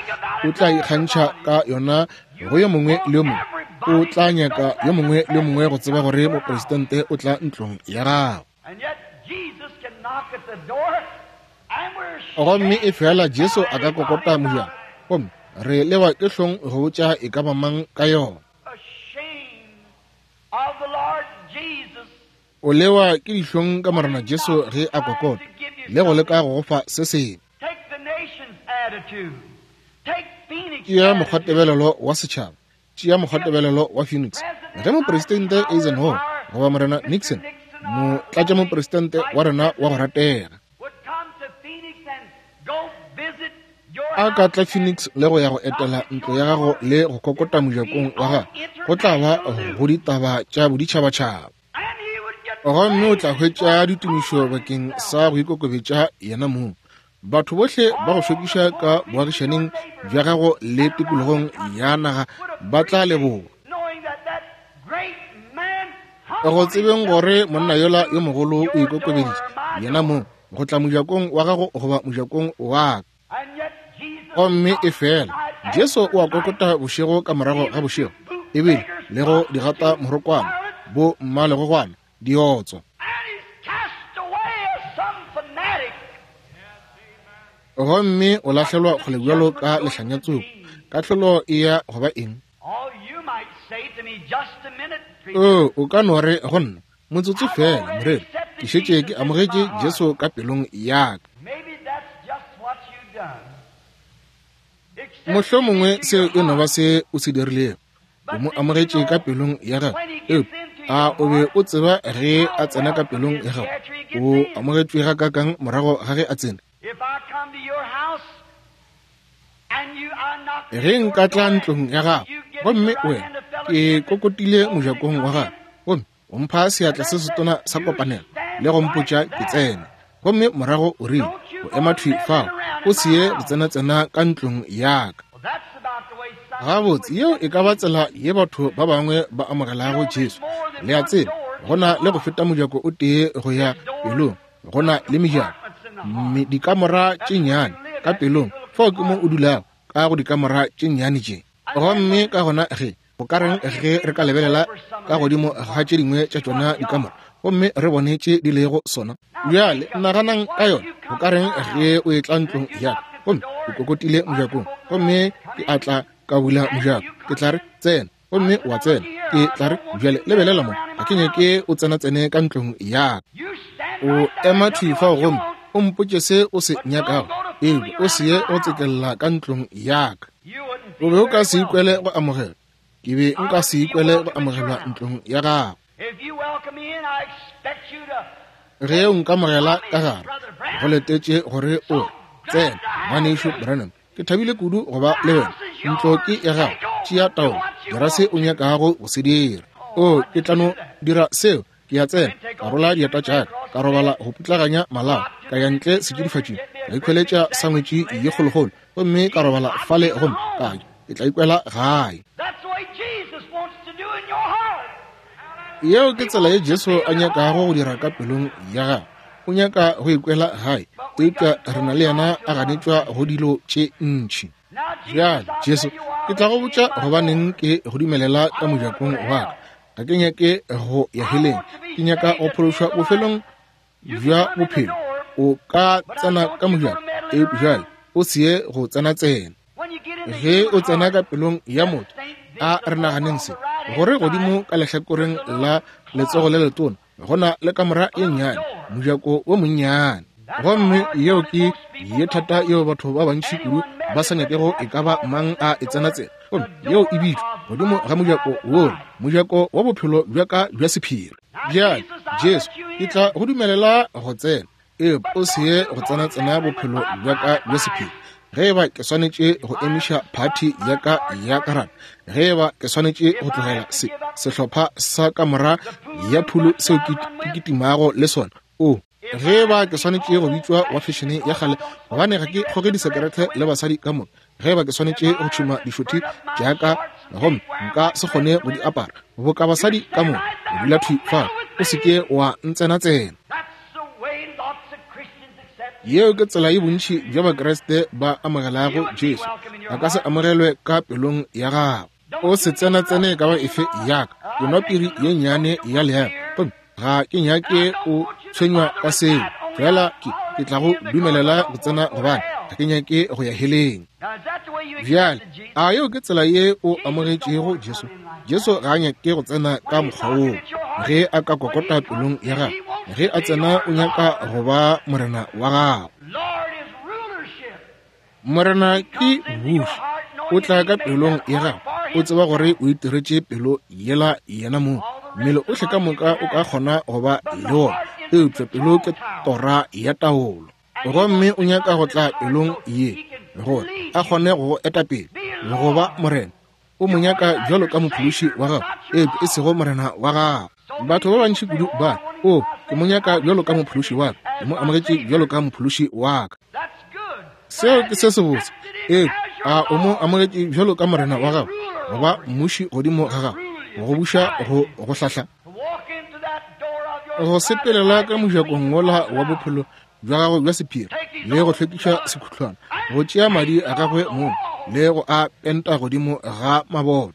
o tla ikgantšha ka yona go yo mongwe le yo mongwe. O tla nyaka yo mongwe le yo mongwe go tseba gore mopresidente o tla ntlong ya gago. Gomme efela Jesu a ka kokota mojako, gomme re lewa ke hlong go botša e ka ba mang ka yona. O lewa ke dihlong ka Morena Jesu ge a kokota le go leka go go fa se sengwe. Tšea mokgwatebelelo wa setšhaba, tšea mokgwatebelelo wa Phoenix. Ge Mopresidente Eisenhower goba Morena Nixon, motlatšamopresidente wa rena wa go ratega, a ka tla Phoenix le go ya go etela ntlo ya gago le go kokota mojakong wa gago, go tla ba go ditaba tša boditšhabatšhaba. Gomme o tla hwetša ditumišo bakeng sa go ikokobetša yena mong. Batho bohle ba go šokiša ka boagišaneng bja gago le tikologong ya naga ba tla leboga. Go tsebeng gore monna yola yo mogolo o ikokobeditše yena mong go tla mojakong wa gago goba mojakong wa ka. Gomme efela Jesu o a kokota bošego ka morago ga bošego. ebile le go di gata morokwana, bo mmalegogwana, diotswa. Gomme o lahlelwa kgole bjalo ka lehlanyatsoko. Kahlolo e ya go ba eng? O, o ka no re go nna, motsotso fela, moreri, ke šetše ke amogetše Jesu ka pelong ya ka. Mohlomongwe seo e no ba se o se dirilego. O mo amogetše ka pelong ya gago. Eupša a o be o tseba ge a tsena ka pelong ya gago, o amogetšwe gakaakang morago ga ge a tsene? Ge nka tla ntlong ya gago, gomme wena ke kokotile mojakong wa gago, gomme o mpha seatla se setona sa kopanelo le go mpotša ke tsene, gomme morago o rile o ema thwi fao, o se ye go tsena-tsena ka ntlong ya ka. Gabotse, yeo e ka ba tsela ye batho ba bangwe ba amogelago Jesu. Le a tseba, go na le go feta mojako o tee go ya pelong, go na le mejako, dikamora tše nnyane ka pelong. Fao ke mo o dulago, ka go dikamora tše nnyane tše. Gomme ka gona ge go ka reng ge re ka lebelela ka godimo ga tše dingwe tša tšona dikamora gomme re bone tše di lego sona? Bjale naganang ka yona. Go ka reng ge o etla ntlong ya ka gomme o kokotile mojakong, gomme ke a tla ka bula mojako, ke tla re tsena, gomme wa tsena. Ke tla re bjale lebelela mo, ga ke nyake o tsena-tsene ka ntlong ya ka. O ema thwi fao gomme o mpotše se o se nyakago, eupša o se ye go tsekella ka ntlong ya ka. O be o ka se ikwele go amogelwa. Ke be nka se ikwele go amogelwa ntlong ya gago. Ge o nkamogela ka gare, go letetše gore o re, Tsena, Ngwanešu Branham, ke thabile kudu go ba le wena. Ntlo ke ya gago, tšea taolo, dira se o nyakago go se dira. O, ke tla no dira seo. Ke a tsena, ka rola dieta tša ka, ka robala go putlaganya malao, ka ya ntle setšidifatšing, ka ikhweletša sangwetši ye kgolokgolo, gomme ka robala fale gomme ka ja. Ke tla ikwela gae. Yeo ke tsela ye Jesu a nyakago go dira ka pelong ya gago. O nyaka go ikwela gae, eupša re na le yena a ganetšwa go dilo tše ntši. Bjale, Jesu, ke tla go botša gobaneng ke go dumelela ka mojakong wa ka. Ga ke nyake go ya heleng, ke nyaka go phološwa bofelong bja bophelo. O ka tsena ka mojako, eupša bjale o se ye go tsena-tsena. Ge o tsena ka pelong ya motho, a re naganeng se, gore godimo ka lehlakoreng la letsogo le letona go na le kamora ye nnyane, mojako wo monnyane. Gomme yeo ke ye thata yeo batho ba bantši kudu ba sa nyakego e ka ba mang a e tsena-tsena. Gomme yeo e bitšwa godimo ga mojako wola, mojako wa bophelo bja ka bja sephiri. Bjale, Jesu, ke tla go dumelela go tsena, eupša o se ye go tsena-tsena bophelo bja ka bja sephiri. Ge e ba ke swanetše go emiša phathi ya ka ya karata, ge e ba ke swanetše go tlogela se sehlopha sa kamora ya phulo seo ke kitimago le sona, o ge e ba ke swanetše go bitšwa wa fešene ya kgale gobane ga ke kgoge disekerete le basadi ka moka, ge e ba ke swanetše go tšhuma dišothi tša ka gomme nka se kgone go di apara boka basadi ka moka, o dula thwi fao, o se ke wa ntsenatsena. Yeo ke tsela ye bontši bja Bakriste ba amogelago Jesu. A ka se amogelwe ka pelong ya gago. O se tsena-tsene ka ba efe ya ka. Ke nwa piri ye nnyane ya leemo, gomme ga ke nyake o tshwenywa ka seo. Fela ke, ke tla go dumelela go tsena gobane ga ke nyake go ya heleng. Bjale, a yeo ke tsela ye o amogetšego Jesu? Jesu ga a nyake go tsena ka mokgwa woo. Ge a ka kokota pelong ya gago, ge a tsena o nyaka go ba morena wa gago. Morena ke mmuši, o tla ka pelong ya gago, o tseba gore o itiretše pelo yela yena mong. Mmele ohle ka moka o ka kgona go ba le wona, eupša pelo ke tora ya taolo. Gomme o nyaka go tla pelong ye gore a kgone go go eta pele le go ba morena. O mo nyaka bjalo ka mophološi wa gago, eupša e sego morena wa gago. Batho ba bantši kudu ba re, O, ke mo nyaka bjalo ka mophološi wa ka. Ke mo amogetše bjalo ka mophološi wa ka. Seo ke se sebotse. Eupša a o mo amogetše bjalo ka morena wa gago, go ba mmuši godimo ga gago, go go buša, go go hlahla? Go sepelela ka mojakong wola wa bophelo bja gagwe bja sephiri le go hlwekiša sekhutlwana, go tšea madi a gagwe mong le go a penta godimo ga maboto.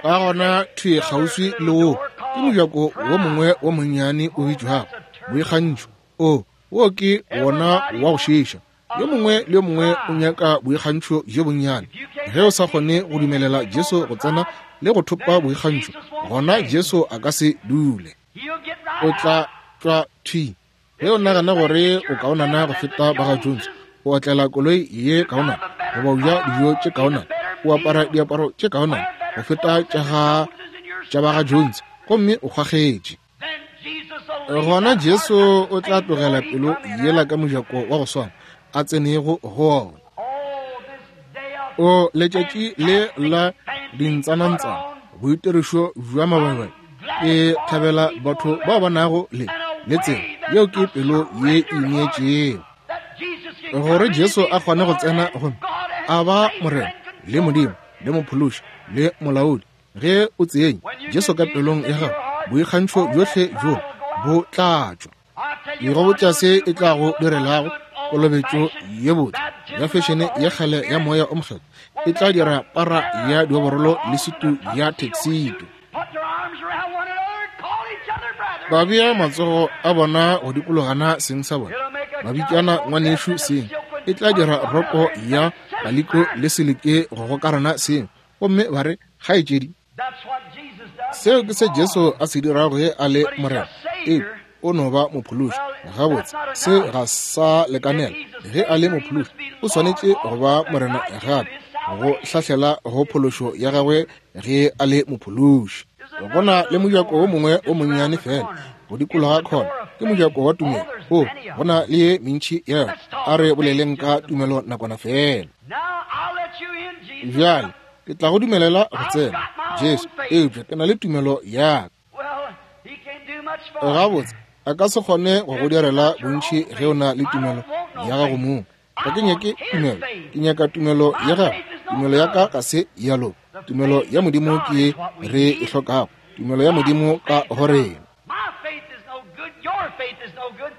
Ka gona thwi kgauswi le wo ke mojako wo mongwe wo monnyane o bitšwago boikgantšho. O, wo ke wona wa go šiiša. Yo mongwe le yo mongwe o nyaka boikgantšho bjo bonnyane. Ge o sa kgone go dumelela Jesu go tsena le go thopa boikgantšho, gona Jesu a ka se dule. O tla tšwa thwi. Ge o nagana gore o kaonana go feta ba ga Jones, o otlela koloi ye kaonana, goba o ja dijo tše kaonana, o apara diaparo tše kaonana go feta tša ba ga Jones, gomme o kgwakgetše. Gona Jesu o tla tlogela pelo yela ka mojako wa go swana a tsenego go ona. O letšatši le la dintsanantsana, boitirišo bja mabaibai, ke thabela batho bao ba nago le le tsela yeo ke pelo ye ineetšego gore Jesu a kgone go tsena gomme a ba Morena le Modimo le Mophološi le Molaodi. Ge o tsenya Jesu ka pelong ya gago, boikgantšho bjohle bjo bo tla tšwa. Ke go botša se e tla go direlago kolobetšo ye botse ya fešene ya kgale ya moya o mokgethwa e tla dira para ya dioborolo le sutu ya taxito. Ba bea matsogo a bona go dikologana seng sa bona, ba bitšana ngwanešu seng. E tla dira roko ya kaliko le silike go gokarana seng, gomme ba re kgaetšedi. Seo ke se Jesu a se dirago ge a le Morena. Ee, o no ba mophološi. Gabotse, se ga sa lekanela. Ge a le mophološi, o swanetše go ba Morena gape, go hlahlela go phološo ya gagwe ge a le mophološi. Go na le mojako wo mongwe o monnyane fela go dikologa khona, ke mojako wa tumelo. O, go na le ye mentši ya yona. A re boleleng ka tumelo nakwana fela. Bjale ke tla go dumelela go tsena, Jesu, eupša ke na le tumelo ya ka. Gabotse, a ka se kgone go go direla bontši ge o na le tumelo ya gago mong. Ga ke nyake tumelo, ke nyaka tumelo ya gago. Tumelo ya ka ga se ya loka. Tumelo ya Modimo ke ye re e hlokago, tumelo ya Modimo ka go rena.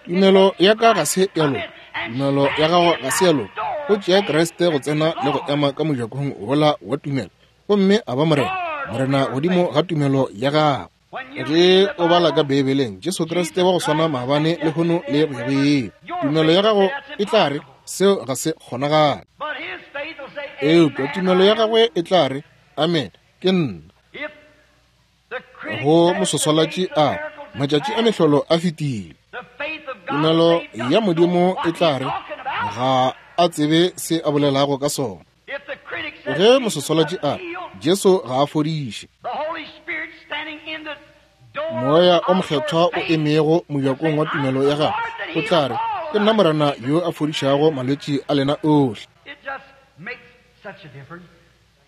Tumelo ya ka ga se ya loka, tumelo ya gago ga se ya loka. Go tšea Kriste go tsena le go ema ka mojakong wola wa tumelo, gomme a ba Morena, Morena godimo ga tumelo ya gago. Ge o bala ka Beibeleng, Jesu Kriste wa go swana maabane, lehono le go ya go ile, tumelo ya gago e tla re seo ga se kgonagale. Eupša tumelo ya gagwe e tla re, Amen, ke nna. Go moswaswalatši a matšatši a mehlolo a fetile. Tumelo ya Modimo e tla re ga a tsebe se a bolelago ka sona. Ge moswaswalatši a re Jesu ga a fodiše, Moya o Mokgethwa o emego mojakong wa tumelo ya gagwe o tla re, Ke nna Morena yo a fodišago malwetši a lena ohle.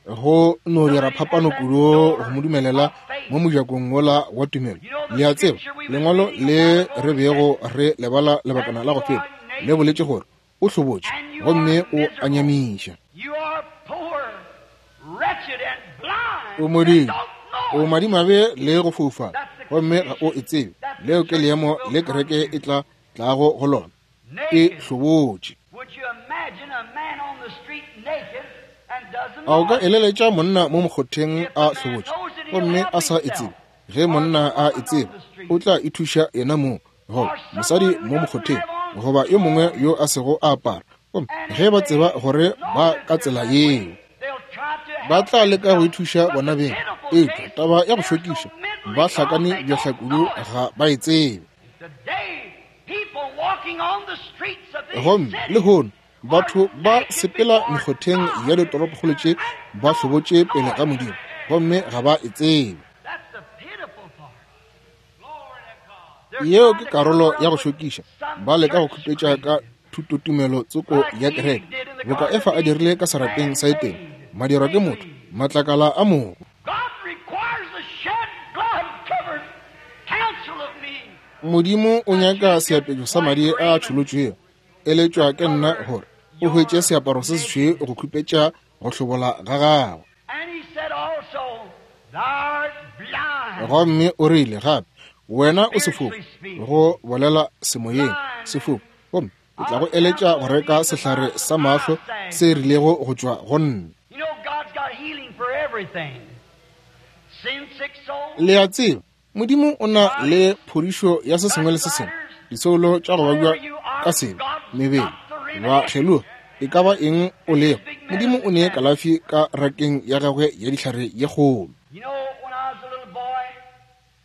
Go no dira phapano kudu go mo dumelela mo mojakong wola wa tumelo. Le a tseba, lengwalo le re bego re lebala lebakana la go feta le boletše gore o hlobotše gomme o a nyamiša. O modimo, o madimabe le go foufala, gomme ga o e tsebe. Leo ke leemo le kereke e tla tlago go lona, e hlobotše. A o ka eleletša monna mo mokgotheng a hlobotše gomme a sa e tsebe? Ge monna a e tseba, o tla ithuša yena mong, goba mosadi mo mokgotheng, goba yo mongwe yo a sego a apara. Gomme ge ba tseba gore ba ka tsela yeo, ba tla leka go ithuša bona beng. Eupša taba ya go šokiša, ba hlakane bjahla kudu, ga ba e tsebe. Gomme lehono batho ba sepela mekgotheng ya ditoropokgolo tše ba hlobotše pele ga Modimo, gomme ga ba e tsebe. Yeo ke karolo ya go šokiša. Ba leka go khupetša ka thutotumelo tsoko ya kereke, boka Efa a dirile ka serapeng sa Etene, madirwa ke motho, matlakala a mogo. Modimo o nyaka seapešo sa madi a tšholotšwego. Eletšwa ke nna gore o hwetše seaparo se sešweu go khupetša go hlobola ga gago. Gomme o rile gape, Wena o sefofu, go bolela semoyeng, sefofu, gomme ke tla go eletša go reka sehlare sa mahlo se rilego go tšwa go nna. Le a tseba, Modimo o na le phodišo ya se sengwe le se sengwe, disoulo tša go babja ka sebe, mebele, ba kgeloga, e ka ba eng o lego, Modimo o ne kalafi ka rakeng ya gagwe ya dihlare ye kgolo.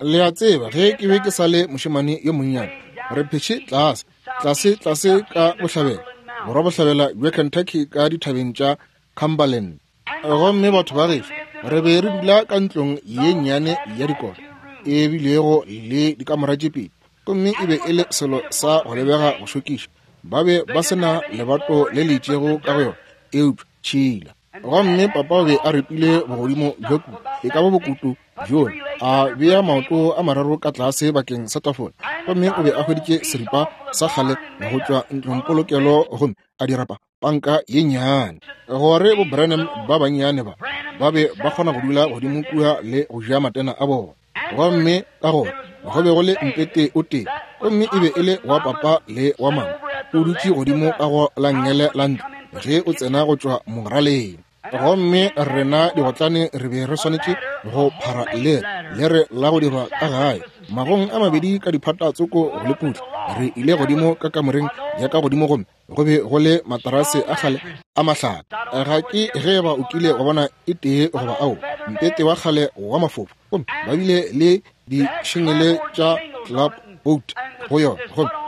Le a tseba, ge ke be ke sa le mošemane yo monnyane, re phetše tlase, tlase, tlase ka bohlabela, borwabohlabela bja Kentucky ka dithabeng tša Cumberland. Gomme batho ba gešo, re be re dula ka ntlong ye nnyane ya dikota, e bilego le dikamora tše pedi, gomme e be e le selo sa go lebega go šokiša. Ba be ba se na lebato le le itšego ka go yona, eupša tšhila. Gomme papa o be a ripile bogodimo bja kutu, e ka ba bokutu bjola, a bea maoto a mararo ka tlase bakeng sa tafola. Gomme o be a hweditše seripa sa kgale go tšwa ntlongpolokelo gomme a dira pa, panka ye nnyane, gore bo Branham ba bannyane ba ba be ba kgona go dula godimo kua le go ja matena a bona. Gomme ka gore go be go le mpete o tee, gomme e be e le wa papa le wa mama, o dutše godimo ka go la nngele la ntlo ge o tsena go tšwa moraleng. Gomme rena digotlane re be re swanetše go phara lere, lere la go dirwa ka gae, magong a mabedi ka diphata tsoko go le putla. Re ile godimo ka kamoreng ya ka godimo gomme go be go le materase a kgale a mahlaka. Ga ke ge ba o kile wa bona e tee goba ao, mpete wa kgale wa mafofa, gomme ba bile le dišengele tša club boat go yona,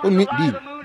gomme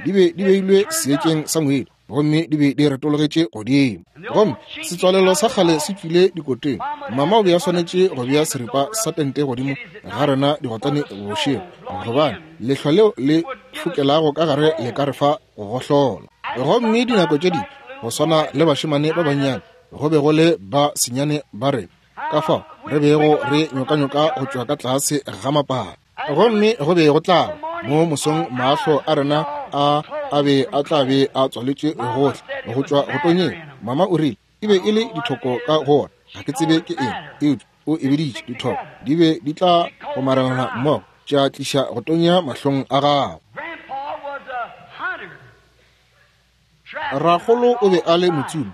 di be di beilwe seetšeng sa ngwedi, gomme di be di retologetše godimo, gomme setswalelo sa kgale se tšwile dikoteng. Mama o be a swanetše go bea seripa sa tente godimo ga rena digotlane bošego, gobane lehlwa leo le fokelago ka gare le ka re fa go gohlola. Gomme dinako tše dingwe, go swana le bašemane ba bannyane, go be go le ba senyane ba rena, ka fao re bego re nyokanyoka go tšwa ka tlase ga mapala. Gomme go be go tla ba mo mosong mahlo a rena a a be a tla be a tswaletšwe gohle go tšwa go tonyeng. Mama o rile e be e le dithoko ka go ona, ga ke tsebe ke eng, eupša o e biditše dithoko, di be di tla gomarelana mmogo tša tliša go tonya mahlong a gago. Rakgolo o be a le motsomi,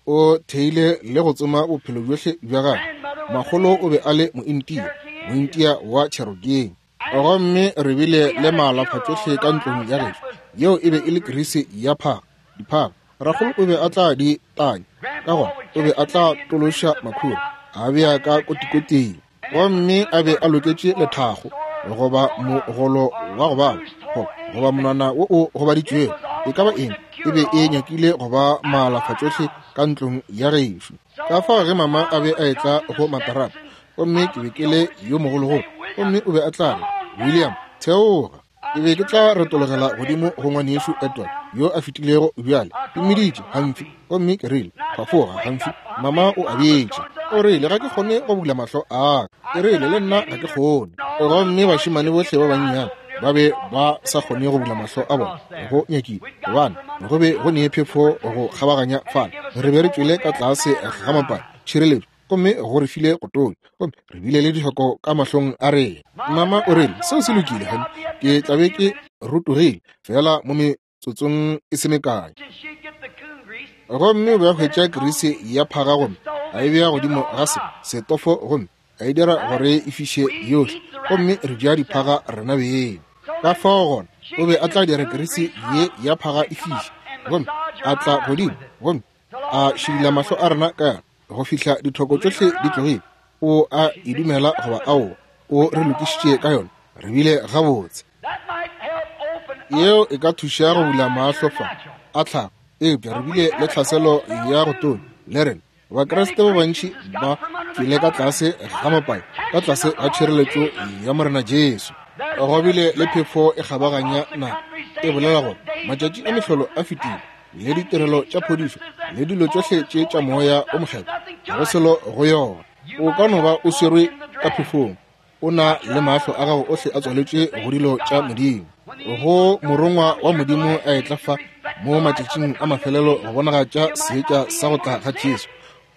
o theile le go tsoma bophelo bjohle bja gagwe. Makgolo o be a le Mointia, Mointia wa Cherokee. Gomme re bile le maalafa tšohle ka ntlong ya gešo. Yeo e be e le kirisi ya phaga, diphaga. Rakgolo o be a tla di tanya, ka gona o be a tla tološa makhura, a bea ka kotikoting. Gomme a be a loketše lethago, goba mogolo wa go baba, goba monwana wo o gobaditšwego, e ka ba eng, e be e nyakile go ba maalafa tšohle ka ntlong ya gešo. Ka fao ge mama a be a etla go matarata, gomme ke be ke le yo mogologolo, gomme o be a tla re, William, theoga. Ke be ke tla retologela godimo go ngwanešu Edward yo a fetilego bjale. Ke mmiditše, Humphrey, gomme ke rile, Phafoga, Humphrey, mama o abetše. O rile, Ga ke kgone go bula mahlo a ka. Ke rile, Le nna ga ke kgone. Gomme bašemane bohle ba bannyane ba be ba sa kgone go bula mahlo a bona, go nyakile, gobane go be go ne phefo go kgabaganya fale. Re be re tšwele ka tlase ga mapane, tšhireletšo, gomme go re file go tonya, gomme re bile le dihloko ka mahlong a rena. Mama o rile, Seo se lokile, honey, ke tla be ke rotogile feela mo metsotsong e se mekae. Gomme o be a hwetša kirisi ya phaga gomme a e bea godimo ga se setofo gomme a e dira gore e fiše yohle, gomme re ja diphaga rena beng. Ka fao gona o be a tla dira kirisi ye ya phaga e fiše, gomme a tla godimo gomme a šidila mahlo a rena ka yona go fihla dithoko tšohle di tlogile. O a e dumela goba aowa, o re lokišitše ka yona, re bile gabotse. Yeo e ka thuša go bula mahlo fa a tlhago, eupša re bile le tlhaselo ya go tonya le rena. Bakriste ba bantši ba tšwele ka tlase ga mapai, ka tlase ga tšhireletšo ya Morena Jesu. Go bile le phefo e kgabaganya naga e bolela gore matšatši a mehlolo a fetile, le ditirelo tša phodišo le dilo tšohle tše tša Moya o Mokgethwa, ga go selo go yona. O ka no ba o swerwe ka phefong, o na le mahlo a gago ohle a tswaletšwe go dilo tša Modimo. Go morongwa wa Modimo a etla fa mo matšatšing a mafelelo go bonagatša seetša sa go tla ga Jesu,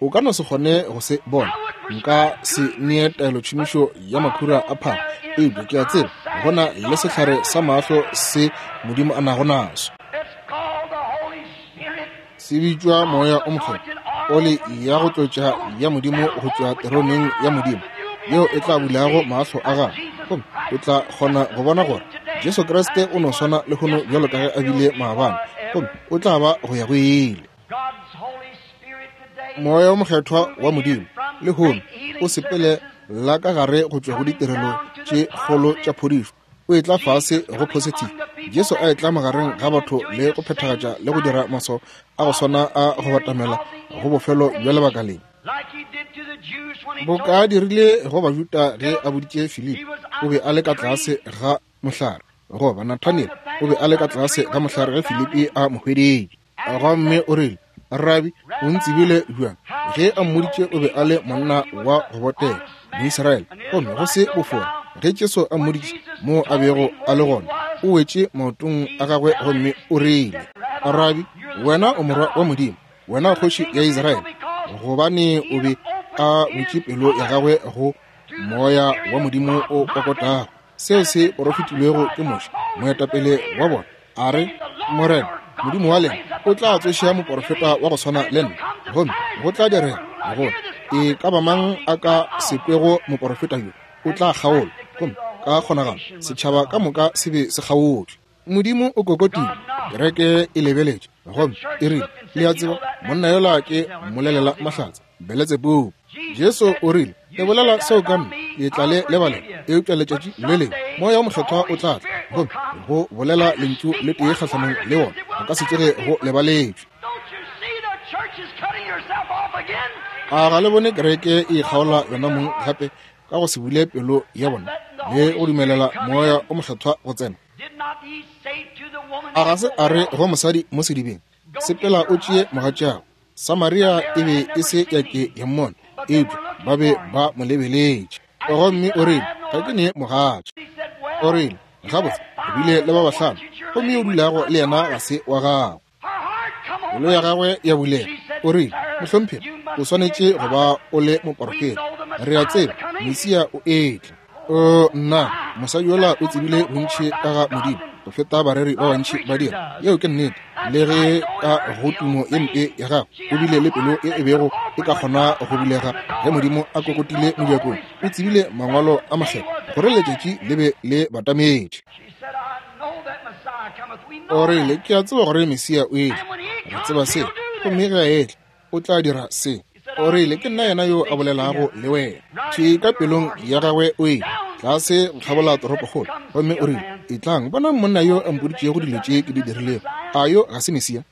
o ka no se kgone go se bona. Nka se nee taelotšhomišo ya makhura a phago, eupša ke a tseba go na le sehlare sa mahlo se Modimo a nago naso. Se bitšwa Moya o Mokgethwa, oli ya go tlotša ya Modimo go tšwa teroneng ya Modimo. yeo e tla bulago mahlo a gago, gomme o tla kgona go bona gore Jesu Kriste o no swana lehono bjalo ka ge a bile maabane, gomme o tla ba go ya go ile. Moya o Mokgethwa wa Modimo lehono o sepele la ka gare go tšwa go ditirelo tše kgolo tša phodišo, o etla fase go positive. Jesu a etla magareng ga batho le go phethagatša le go dira maswao a go swana a go batamela go bofelo bja lebaka le. Boka a dirile go Bajuda ge a boditše Filipi, o be a le ka tlase ga mohlare, goba Nathaniel o be a le ka tlase ga mohlare ge Filipi a mo hweditše. Gomme o rile, Rabi, o ntsebile bjang? Ge a mmoditše o be a le monna wa go botega, Moisraele, gomme go se bofora. Ge Jesu a mmoditše moo a bego a le gona, o wetše maotong a gagwe gomme o rile, Rabi, wena o morwa wa Modimo, wena kgoši ya Israele. Gobane o be a butše pelo ya gagwe go moya wa Modimo o kokotago, seo se porofetilwego ke Moshe, moetapele wa bona, a re, Morena Modimo wa lena o tla tsoša moporofeta wa go swana le nna, gomme go tla direga gore e ka ba mang a ka se kwego moporofeta yo o tla kgaolwa, gomme ka kgonagalo setšhaba ka moka se be se kgaotšwe. Modimo o kokotile, kereke e lebeletše, gomme e rile, Le a tseba, monna yola ke mmolelela mahlatse, Beletsebubu. Jesu o rile, Le bolela seo ka nna, ke tla le lebalela, eupša letšatši le lengwe Moya wo Mokgethwa o tla tla, gomme go bolela lentšu le tee kgahlanong le wona go ka se tsoge go lebaletšwe. A ga le bone kereke e ikgaola yona mong gape ka go se bule pelo ya bona le go dumelela Moya o Mokgethwa go tsena? A ga se a re go mosadi mo sedibeng, Sepela o tšee mogatšago? Samaria e be e se ya ke ya mmona, eupša ba be ba mo lebeletše. Gomme o rile, Ga ke ne mogatša. O rile, Gabotse, o bile le ba bahlano, gomme yo o dulago le yena ga se wa gago. Pelo ya gagwe ya bulega. O rile, Mohlomphegi, o swanetše go ba o le moporofeta. Re a tseba Mesia o etla. O nna, mosadi yola o tsebile bontši ka ga Modimo go feta bareri ba bantši ba dira. Yeo ke nnete. Le ge ka go tumo ye mpe ya gagwe o bile le pelo ye e bego e ka kgona go bulega ge Modimo a kokotile mojakong, o tsebile mangwalo a makgethwa gore letšatši le be le batametše. O rile, Ke a tseba gore Mesia o etla. Re tseba se. Gomme ge a etla, o tla dira se. O rile, Ke nna yena yo a bolelago le wena. Thwi ka pelong ya gagwe o ile tlase go kgabola toropokgolo, gomme o rile, Etlang, bonang monna yo a mpoditšego dilo tše ke di dirilego. A yo ga se Mesia?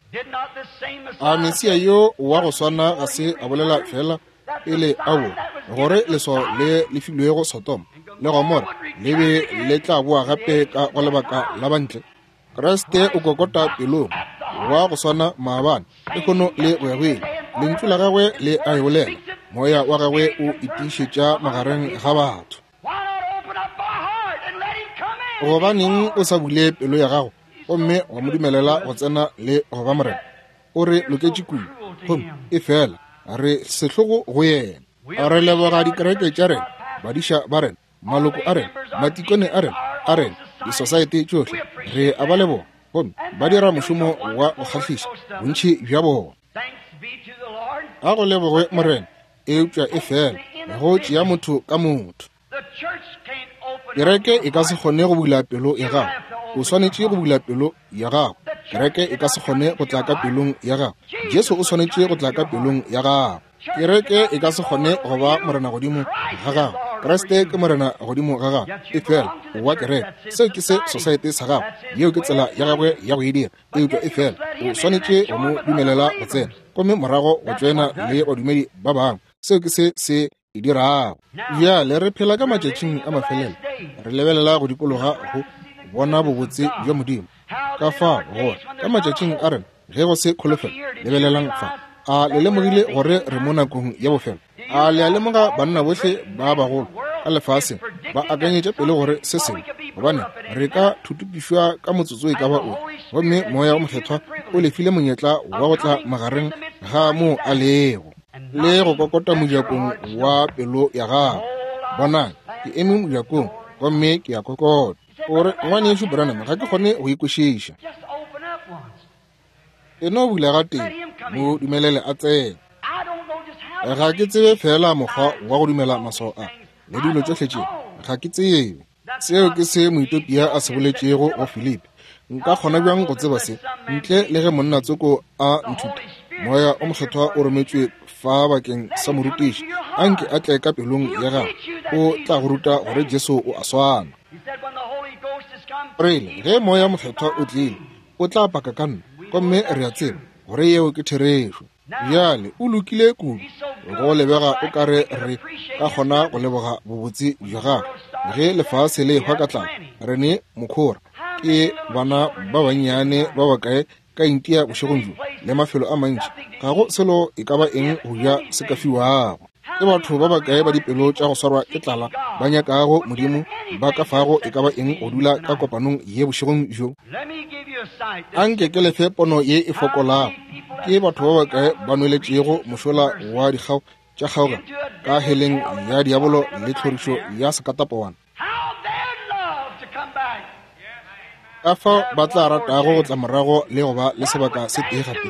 A Mesia yo wa go swana ga se a bolela feela pele a bo gore leswao le le filwego Sodoma le Gomora le be le tla boa gape ka go lebaka la bantle? Kriste o kokota pelong wa go swana maabane, lehono le go ya go ile. Lentšu la gagwe le a e bolela, moya wa gagwe o itiišetša magareng ga batho. Gobaneng o sa bule pelo ya gago gomme wa mo dumelela go tsena le go ba Morena? O re loketše kudu, gomme efela re sehlogo go yena. Re leboga dikereke tša rena, badiša ba rena, maloko a rena, matikone a rena, a rena, disosaete tšohle. Re a ba leboga, gomme ba dira mošomo wa go kgahliša, bontši bja bona. A go lebogwe Morena, eupša efela go tšea motho ka motho. Kereke e ka se kgone go bula pelo ya gago. O swanetše go bula pelo ya gago. Kereke e ka se kgone go tla ka pelong ya gago. Jesu o swanetše go tla ka pelong ya gago. Kereke e ka se kgone go ba Morena godimo ga gago. Kriste ke Morena godimo ga gago. Efela o wa kereke. Seo ke se sosaete sa gago. Yeo ke tsela ya gagwe ya go e dira. Eupša efela o swanetše go mo dumelela go tsena, gomme morago go tšoena le badumedi ba bangwe. Seo ke se se e dirago. Bjale re phela ka matšatšing a mafelelo. Re lebelela go dikologa go bona bobotse bja Modimo. Ka fao gore ka matšatšing a rena ge go se kholofelo, lebelelang fa. A le lemogile gore re mo nakong ya bofelo? A le a lemoga banna bohle ba bagolo ka lefaseng ba akanyetša pele gore se sengwe, gobane re ka thutupišwa ka motsotso e ka ba o, gomme Moya wo Mokgethwa o le file monyetla wa go tla magareng ga moo a lego le go kokota mojakong wa pelo ya gago. Bonang, ke eme mojakong gomme ke a kokota. O re, Ngwanešu Branham, ga ke kgone go e kwešiša. E no bula gatee, mo dumelele a tsene. Ga ke tsebe feela mokgwa wa go dumela maswao a. le dilo tšohle tše, ga ke tsebe. Seo ke se Moethiopia a se boletšego go Filipi. Nka kgona bjang go tseba se ntle le ge monna tsoko a nthuta? Moya o Mokgethwa o rometšwe fa bakeng sa morutiši. Anke a tle ka pelong ya gago, o tla go ruta gore Jesu o a swana. O rile, Ge Moya Mokgethwa o tlile, o tla paka ka nna, gomme re a tseba gore yeo ke therešo. Bjale o lokile kudu, go lebega o ka re re ka kgona go leboga bobotse bja gagwe. Ge lefase le ehwa ka tlala, re ne mokhora. Ke bana ba bannyane ba bakae ka Intia bošegong bjo, le mafelo a mantši, ga go selo e ka ba eng go ja se ka fiwago. Ke batho ba bakae ba dipelo tša go swarwa ke tlala ba nyakago Modimo ba ka fago e ka ba eng go dula ka kopanong ye bošegong bjo? Anke ke lefe pono ye e fokolago. Ke batho ba bakae ba nweletšego mošola wa dikgao tša kgaogelo ka heleng ya diabolo le tlhorišo ya sekatapowana? Ka fao ba tla ratago go tla morago le go ba le sebaka se tee gape.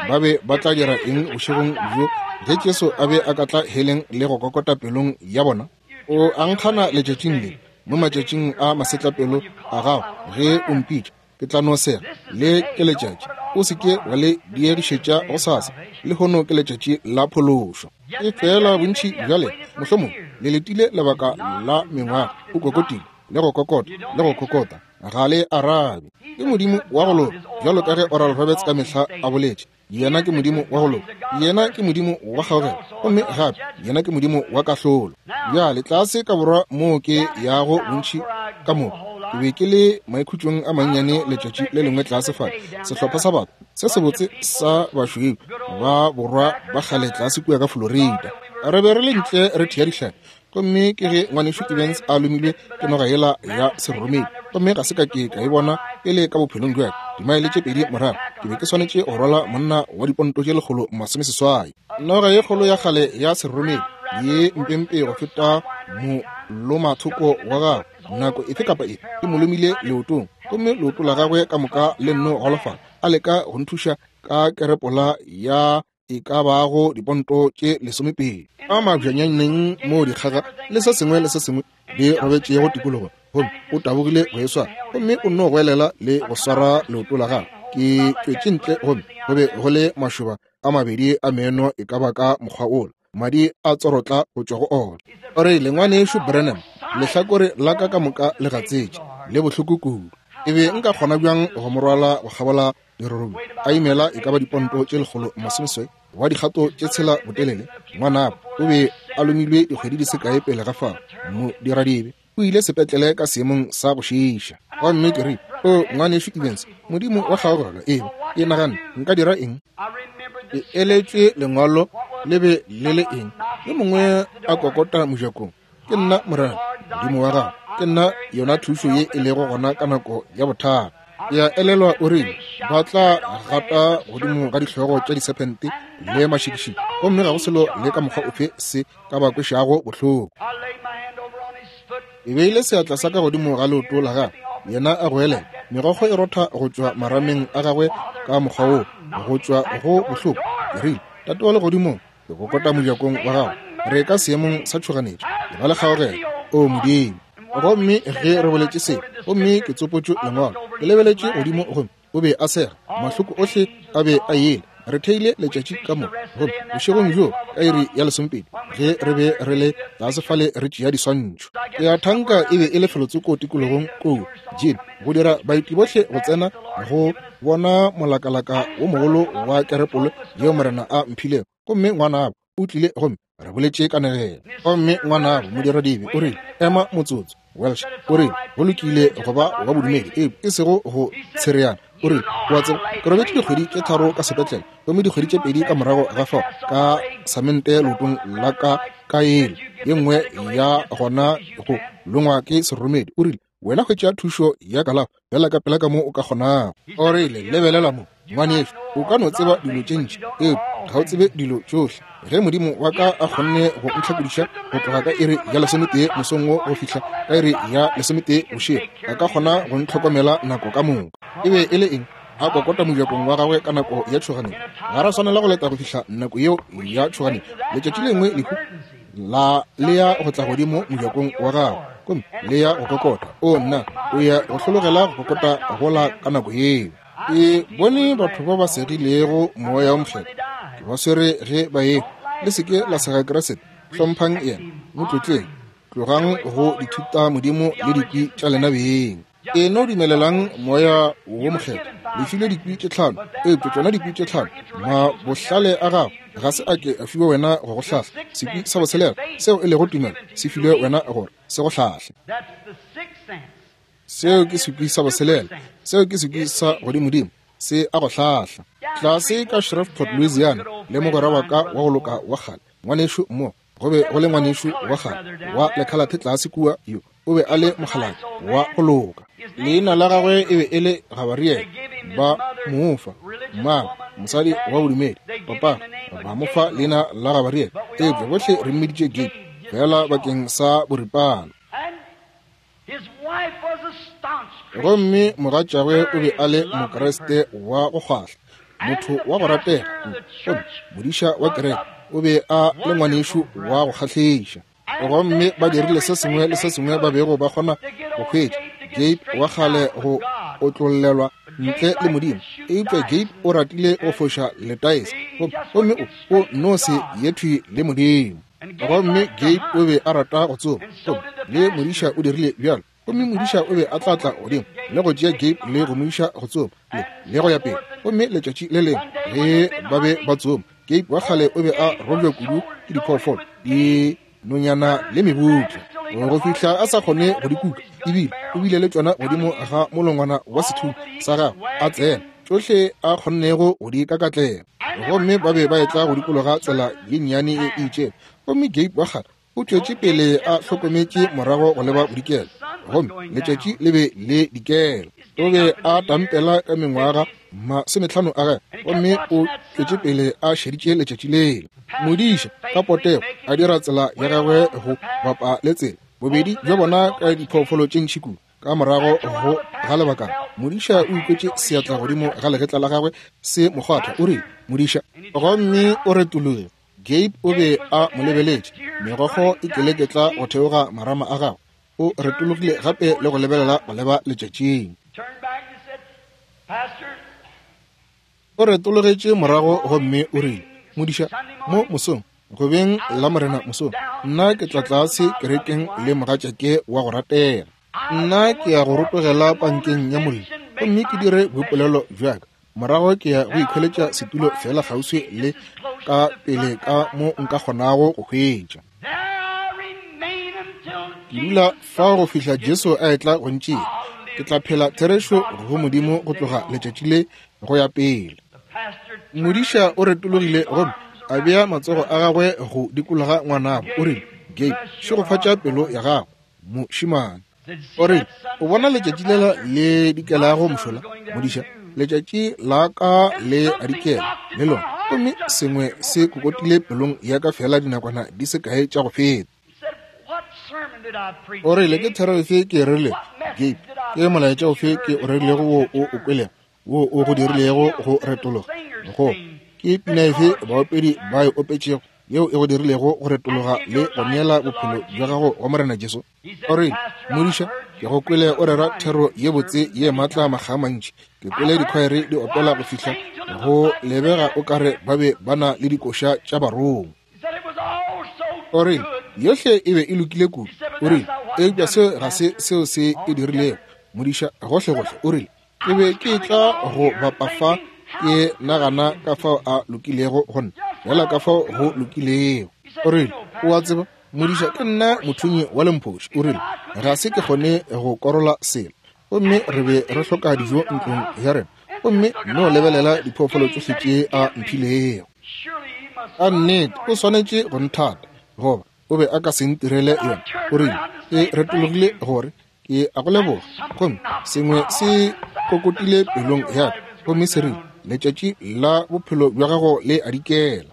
Ba be ba tla dira eng bošegong bjo ge Jesu a be a ka tla heleng le go kokota pelong ya bona? O a nkgana letšatšing le, mo matšatšing a masetlapelo a gago, ge o mpitša, ke tla no sega. Le ke letšatši, o se ke wa le diegišetša gosasa. Lehono ke letšatši la phološo. Efela bontši bja lena mohlomong le letile lebaka la mengwaga, o kokotile le go kokota le go kokota, ga le arabe. Ke Modimo wa go loka, bjalo ka ge Oral Roberts ka mehla a boletše. Yena ke Modimo wa go loka, Yena ke Modimo wa kgaogelo, gomme gape Yena ke Modimo wa kahlolo. Bjale tlase ka borwa moo ke yago bontši ka moo, ke be ke le maikhutšong a mannyane letšatši le lengwe tlase fale, sehlopha sa batho se sebotse sa bašweu ba borwa ba kgale tlase kua ka Florida. Re be re le ntle re thea dihlapi, gomme ke ge ngwanešu Evans a lomilwe ke noga yela ya seroromedi, gomme ga se ka ke ka e bona pele ka bophelong bja ka. Dimaele tše pedi morago ke be ke swanetše go rwala monna wa diponto tše 160. Noga ye kgolo ya kgale ya seroromedi ye mpempe go feta molomathoko wa gagwe nako efe kapa efe e mo lomile leotong, gomme leoto la gagwe ka moka le nno golofala. A leka go nthuša ka kerepola ya e ka bago diponto tše 20 a mabjanyaneng moo dikgaga le se sengwe le se sengwe di robetšego tikologo, gomme o tabogile go e swara, gomme o nno goelela le go swara leoto la gagwe. Ke tšwetše ntle, gomme go be go le mašoba a mabedi a meno e ka ba ka mokgwa wola, madi a tsorotla go tšwa go ona. O rile, Ngwanešu Branham, lehlakore la ka ka moka le gatsetše, le bohloko kudu. E be nka kgona bjang go mo rwala go kgabola dirorobi a imela e ka ba diponto tše 160 wa dikgato tše 6 botelele? Ngwanabo o be a lomilwe dikgwedi di se kae pele ga fao. Modiradibe o ile sepetlele ka seemong sa go šiiša. Gomme ke rile, O Ngwanešu Evans, Modimo wa kgaogelo, eba ke naganne nka dira eng? Ke eletšwe lengwalo le be le le eng? Yo mongwe a kokota mojakong. Ke nna Morena Modimo wa gago, ke nna yona thušo ye e lego gona ka nako ya bothata. Ke a elelwa o rile ba tla gata godimo ga dihlogo tša disephente le mašikišiki, gomme ga go selo le ka mokgwa ofe se ka ba kwešago bohloko. Ke beile seatla sa ka godimo ga leoto la gagwe, yena a goelela, megokgo e rotha go tšwa marameng a gagwe ka mokgwa woo, go tšwa go bohloko. Ke rile, Tate wa Legodimong, ke kokota mojakong wa gago, re ka seemong sa tšhoganetšo, e ba le kgaogelo, O Modimo. Gomme ge re boletše se, gomme ke tsopotšwe lengwalo, ke lebeletše godimo gomme o be a sega, mahloko ohle a be a yele. Re theile letšatši ka moka, gomme bošegong bjoo ka iri ya 12 ge re be re le tlase fale re tšea diswantšho. Ke a thanka e be e le felotsoko tikologong koo, Jim, go dira baeti bohle go tsena go bona molakalaka wo mogolo wa kerepolo yeo Morena a mphilego. Gomme ngwanabo o tlile gomme re boletše kanegelo. Gomme ngwanabo modiradibe o rile, Ema motsotso, Welsh. O rile, Go lokile go ba wa bodumedi, eupša e sego go tshereana. O rile, O a tseba, ke robetše dikgwedi tše 3 ka sepetlele, gomme dikgwedi tše 2 ka morago ga fao ka samente leotong la ka ka yele ye nngwe ya gona go longwa ke seroromedi. O rile, Wena hwetša thušo ya kalafo bjala ka pela ka mo o ka kgonago. O rile, Lebelela mo, ngwanešu, o ka no tseba dilo tše ntši, eupša ga o tsebe dilo tšohle. Ge Modimo wa ka a kgonne go ntlhakodiša go tloga ka iri ya 11 mosong wo go fihla ka iri ya 11 bošego, a ka kgona go ntlhokomela nako ka moka. E be e le eng? A kokota mojakong wa gagwe ka nako ya tšhoganetšo. Ga ra swanela go leta go fihla nako yeo ya tšhoganetšo. Letšatši lengwe lehu La le ya go tla godimo mojakong wa gago, gomme le ya go kokota. O nna, o ya go hlologela go kokota gola ka nako yeo. Ke bone batho ba ba segilego Moya wo Mokgethwa, ke ba swere ge ba ehwa. Le se ke la sega Kriste, hlomphang yena, mo tlotleng. Tlogang go dithuta modimo le dikwi tša lena beng. E no dumelelang Moya wo Mokgethwa. Le filwe dikwi tše tlhano, eupša tšona dikwi tše tlhano, mabohlale a gago ga se a ke a fiwa wena go go hlahla. Sekwi sa botshelela, seo e lego tumelo, se filwe wena gore se go hlahle. Seo ke sekwi sa botshelela, seo ke sekwi sa godimodimo, se a go hlahla. Tlase ka Shreveport, Louisiana, le mogwera wa ka wa go loka wa kgale, ngwanešu Moore, go be go le ngwanešu wa kgale wa lekhalathe tlase kua, yo o be a le mokgalabje wa go loka. Leina la gagwe e be e le Gabariele. Ba mo fa mmagwe, mosadi wa bodumedi, papa, ba mo fa leina la Gabariele, eupša bohle re mmiditše Gabe, feela bakeng sa boripana. Gomme mogatšagwe o be a le Mokriste wa go kgwahla, motho wa go ratega kudu. Gomme modiša wa kereke o be a le ngwanešu wa go kgahliša. Gomme ba dirile se sengwe le se sengwe ba bego ba kgona go hwetša Gabe wa kgale go otlollelwa ntle le Modimo. Eupša Gabe o ratile go foša letaese, gomme o no se ye thwi le Modimo. Gomme Gabe o be a rata go tsoma, gomme le modiša o dirile bjalo. Gomme modiša o be a tla tla godimo le go tšea Gabe le go mo iša go tsoma, le go ya pele. Gomme letšatši le lengwe ge ba be ba tsoma, Gabe wa kgale o be a robja kudu ke diphoofolo, dinonyana le mebutla, go fihla a sa kgone go di kuka. Ebile o bile le tšona godimo ga molongwana wa sethunya sa gagwe, a tsena tšohle a kgonnego go di kakatlela. Gomme ba be ba etla go dikologa tsela ye nnyane e itšego, gomme Gabe wa kgale o tšwetše pele a hlokometše morago go leba bodikela, gomme letšatši le be le dikela. O be a tampela ka mengwaga 50 a gagwe, gomme o tšwetše pele a šeditše letšatši lela. Modiša ka potego a dira tsela ya gagwe go bapa le tsela, bobedi bja bona ka diphoofolo tše ntši kudu. Ka morago go ga lebakana, modiša o ikwetše seatla godimo ga legetla la gagwe se mo kgwatha. O rile, Modiša. Gomme o retologile. Gabe o be a mo lebeletše, megokgo e keleketla go theoga marama a gagwe. O retologile gape le go lebelela go leba letšatšing. O retologetše morago gomme o rile, Modiša, mo mosong, go beng Lamorena mosong, nna ke tla tlase kerekeng le mogatšake wa go ratega. Nna ke ya go rotogela pankeng ya mollo gomme ke dire boipolelo bja ka. Morago ke ya go ikhweletša setulo feela kgauswi le ka pele ka mo nka kgonago go hwetša. Ke dula fao go fihla Jesu a etla go ntšea. Ke tla phela therešo go Modimo go tloga letšatši le go ya pele. Modiša o retologile gomme a bea matsogo a gagwe go dikologa ngwanabo. O rile, Gabe, šegofatša pelo ya gago, mošemane. O rile, O bona letšatši lela le dikelago mošola, modiša? Letšatši la ka le a dikela le lona. Gomme sengwe se kokotile pelong ya ka feela dinakwana di se kae tša go feta. O rile, Ke thero efe ke e rerilego, Gabe? Ke molaetša ofe ke o rerilego wo o o kwelego, wo o go dirilego go retologa? Go ke pina efe baopedi ba e opetšego yeo e go dirilego go retologa le go neela bophelo bja gago go Morena Jesu? O rile, Modiša, ke go kwele o rera thero ye botse ye maatla makga a mantši. Ke kwele dikhwaere di opela go fihla go lebega o ka re ba be ba na le dikoša tša barongwa. O rile, Yohle e be e lokile kudu. O rile, Eupša seo ga se seo se e dirilego, modiša, gohlegohle. O rile, Ke be ke etla go bapa fa ke nagana ka fao a lokilego go nna, feela ka fao go lokilego. O rile, O a tseba, modiša, ke nna mothunyi wa lemphoši. O rile, Ga se ke kgone go korola selo. Gomme re be re hloka dijo ntlong ya rena. Gomme no lebelela diphoofolo tšohle tše a mphilego. Ka nnete o swanetše go nthata, goba o be a ka se ntirele yona. O rile, Ke retologile gore ke a go leboga. Gomme sengwe se kokotile pelong ya ka, gomme se rile, Letšatši la bophelo bja gago le a dikela.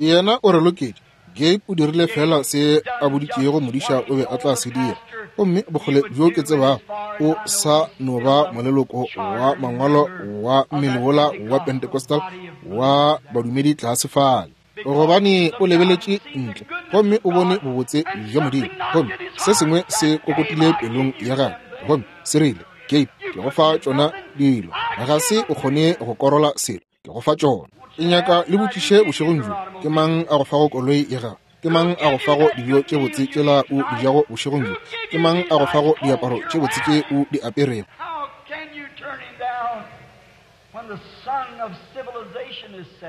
Yena o re loketše. Gabe o dirile feela se a boditšego modiša o be a tla se dira. Gomme bokgole bjo ke tsebago, o sa no ba moleloko wa mangwalo wa mmele wola wa Pentecostal wa badumedi tlase fale. Gobane o lebeletše ntle gomme o bone bobotse bja Modimo, gomme se sengwe se kokotile pelong ya gagwe gomme se rile, Gabe, ke go fa tšona dilo. Ga se o kgone go korola selo, ke go fa tšona. Ke nyaka le botšiše bošegong bjo, ke mang a go fago koloi ya gago? Ke mang a go fago dijo tše botse tšela o di jago bošegong bjo? Ke mang a go fago diaparo tše botse tše o di aperego?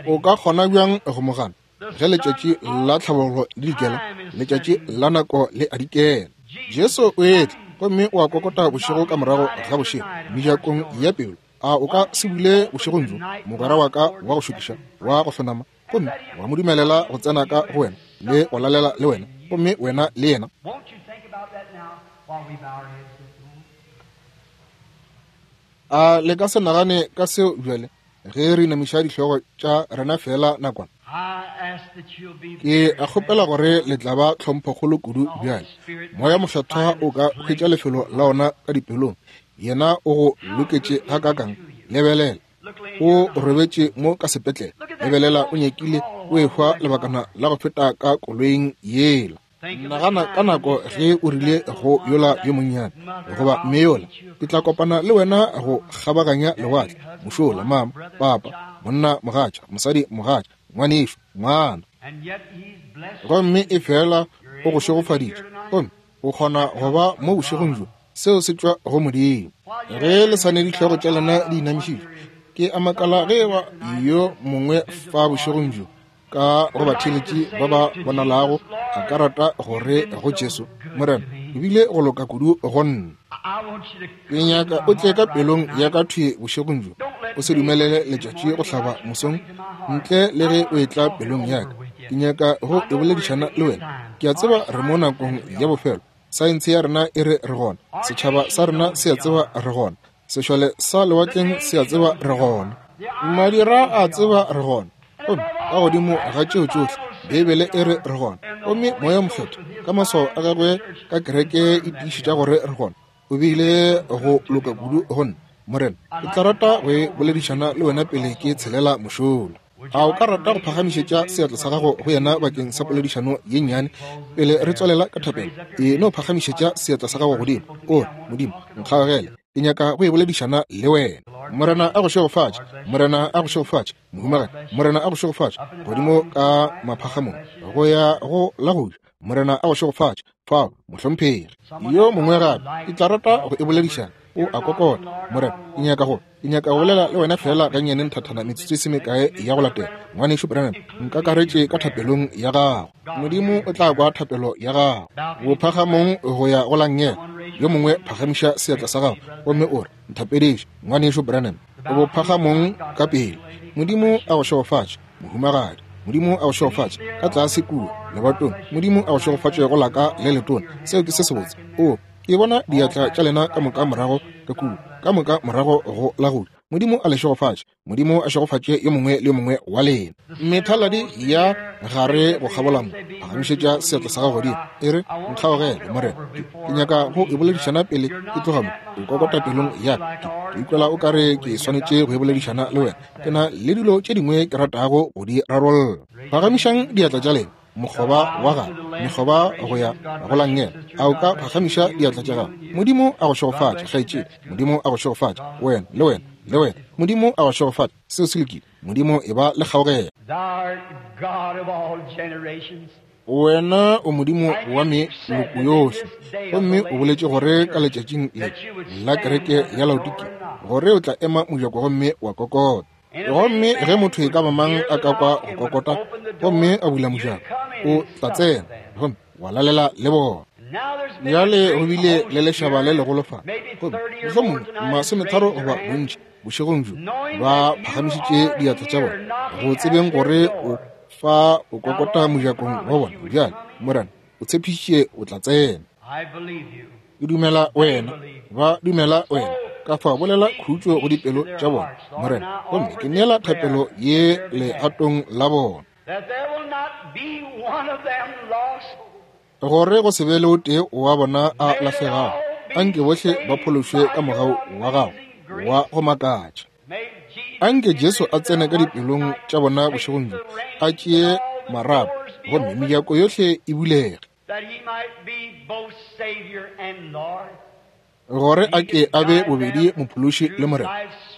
O ka kgona bjang go mo gana ge letšatši la tlhabollo le dikela, letšatši la nako le a dikela? Jesu o etla gomme o a kokota bošego ka morago ga bošego mejakong ya pelo. A o ka se bule bošegong bjo, mogwera wa ka wa go šokiša wa go hlonama, gomme wa mo dumelela go tsena ka go wena le go lalela le wena, gomme wena le yena? A le ka se nagane ka seo bjale ge re inamiša dihlogo tša rena feela nakwana? Ke a kgopela gore le tla ba tlhomphokgolo kudu bjale. Moya Mokgethwa o ka hwetša lefelo la ona ka dipelong. Yena o go loketše gakaakang. Lebelela, o robetše mo ka sepetlele. Lebelela, o nyakile o ehwa lebakana la go feta ka koloing yela. Nagana ka nako ge o rile go yola yo monnyane goba mme yola, ke tla kopana le wena go kgabaganya lewatle, mošola, mama, papa, monna, mogatša, mosadi, mogatša, ngwanešu, ngwana. Gomme efela o go šegofaditše, gomme o kgona go ba mo bošegong bjo. Seo se tšwa go Modimo. Ge le sa ne dihlogo tša lena di inamišitšwe, ke a makala ge eba yo mongwe fa bošegong bjo ka go batheeletši ba ba bonalago a ka rata gore go Jesu, Morena, o bile go loka kudu go nna. Ke nyaka o tle ka pelong ya ka thwi bošegong bjo. O se dumelele letšatši go hlaba mosong ntle le ge o etla pelong ya ka. Ke nyaka go e boledišana le wena. Ke a tseba re mo nakong ya bofelo. Saense ya rena e re re gona. Setšhaba sa rena se a tseba re gona. Sešole sa lewatleng se a tseba re gona. Madira a tseba re gona. Gomme ka godimo ga tšeo tšohle, Beibele e re re gona. Gomme Moya wo Mokgethwa, ka maswao a gagwe ka kereke e tiišetša gore re gona. O bile go loka kudu go nna. Morena, ke tla rata go e boledišana le wena pele ke tshelela mošola. A o ka rata go phagamišetša seatla sa gago go yena bakeng sa poledišano ye nnyane pele re tswalela ka thapelo? E no phagamišetša seatla sa gago godimo, o re, Modimo, nkgaogele. Ke nyaka go e boledišana le wena. Morena a go šegofatše. Morena a go šegofatše, mohumagadi. Morena a go šegofatše, godimo ka maphagamong go ya go la go ja. Morena a go šegofatše fao, mohlomphegi. Yo mongwe gape, ke tla rata go e boledišana. O a kokota. Morena, ke nyaka go, ke nyaka go bolela le wena feela gannyane nthathana metsotso e se mekae ya go latela. Ngwanešu Branham, nkakaretše ka thapelong ya gago. Modimo o tla kwa thapelo ya gago. Bophagamong go ya go la nngele. Yo mongwe phagamiša seatla sa gago gomme o re, Nthapediše, Ngwanešu Branham. Bophagamong ka pele. Modimo a go šegofatše, mohumagadi. Modimo a go šegofatše ka tlase kua lebatong. Modimo a go šegofatše go laka le letona. Seo ke se sebotse. O, ke bona diatla tša lena ka moka morago ka kua, ka moka morago go la go ja. Modimo a le šegofatše. Modimo a šegofatše yo mongwe le yo mongwe wa lena. Methaladi ya gare go kgabola mo, phagamišetša seatla sa gago godimo, e re, Nkgaogele, Morena. Ke, ke nyaka go e boledišana pele ke tloga mo. O kokota pelong ya ka. Ke, ke ikwela o ka re ke swanetše go e boledišana le wena. Ke na le dilo tše dingwe ke ratago go di rarolla. Phagamišang diatla tša lena, mokgoba wa gago, mekgoba go ya go la nngele. A o ka phagamiša diatla tša gago? Modimo a go šegofatše, kgaetšedi. Modimo a go šegofatše, wena, le wena, le wena. Modimo a go šegofatše. Seo se lokile. Modimo e ba le kgaogelo. Wena o Modimo wa meloko yohle, gomme o boletše gore ka letšatšing le la kereke ya Laodikia gore o tla ema mojako gomme wa kokota. Gomme ge motho e ka ba mang a ka kwa go kokota gomme a bula mojako, o tla tsena gomme wa lalela le bona. Bjale go bile le lešaba le legolo fa, gomme mohlomongwe masometharo goba bontši bošegong bjo ba phagamišitše diatla tša bona go tsebeng gore o fa o kokota mojakong wa bona. Bjale, Morena, o tshepišitše o tla tsena. Ke dumela wena, ba dumela wena. Ka fa bolela khutšo go dipelo tša bona, Morena, gomme ke neela thapelo ye legatong la bona, gore go se be le o tee wa bona a lahlegago. Anke bohle ba phološwe ka mogau wa gago wa go makatša. Anke Jesu a tsene ka dipelong tša bona bošegong bjo, a tšee marapo, gomme mejako yohle e bulege, gore a ke a be bobedi Mophološi le Morena,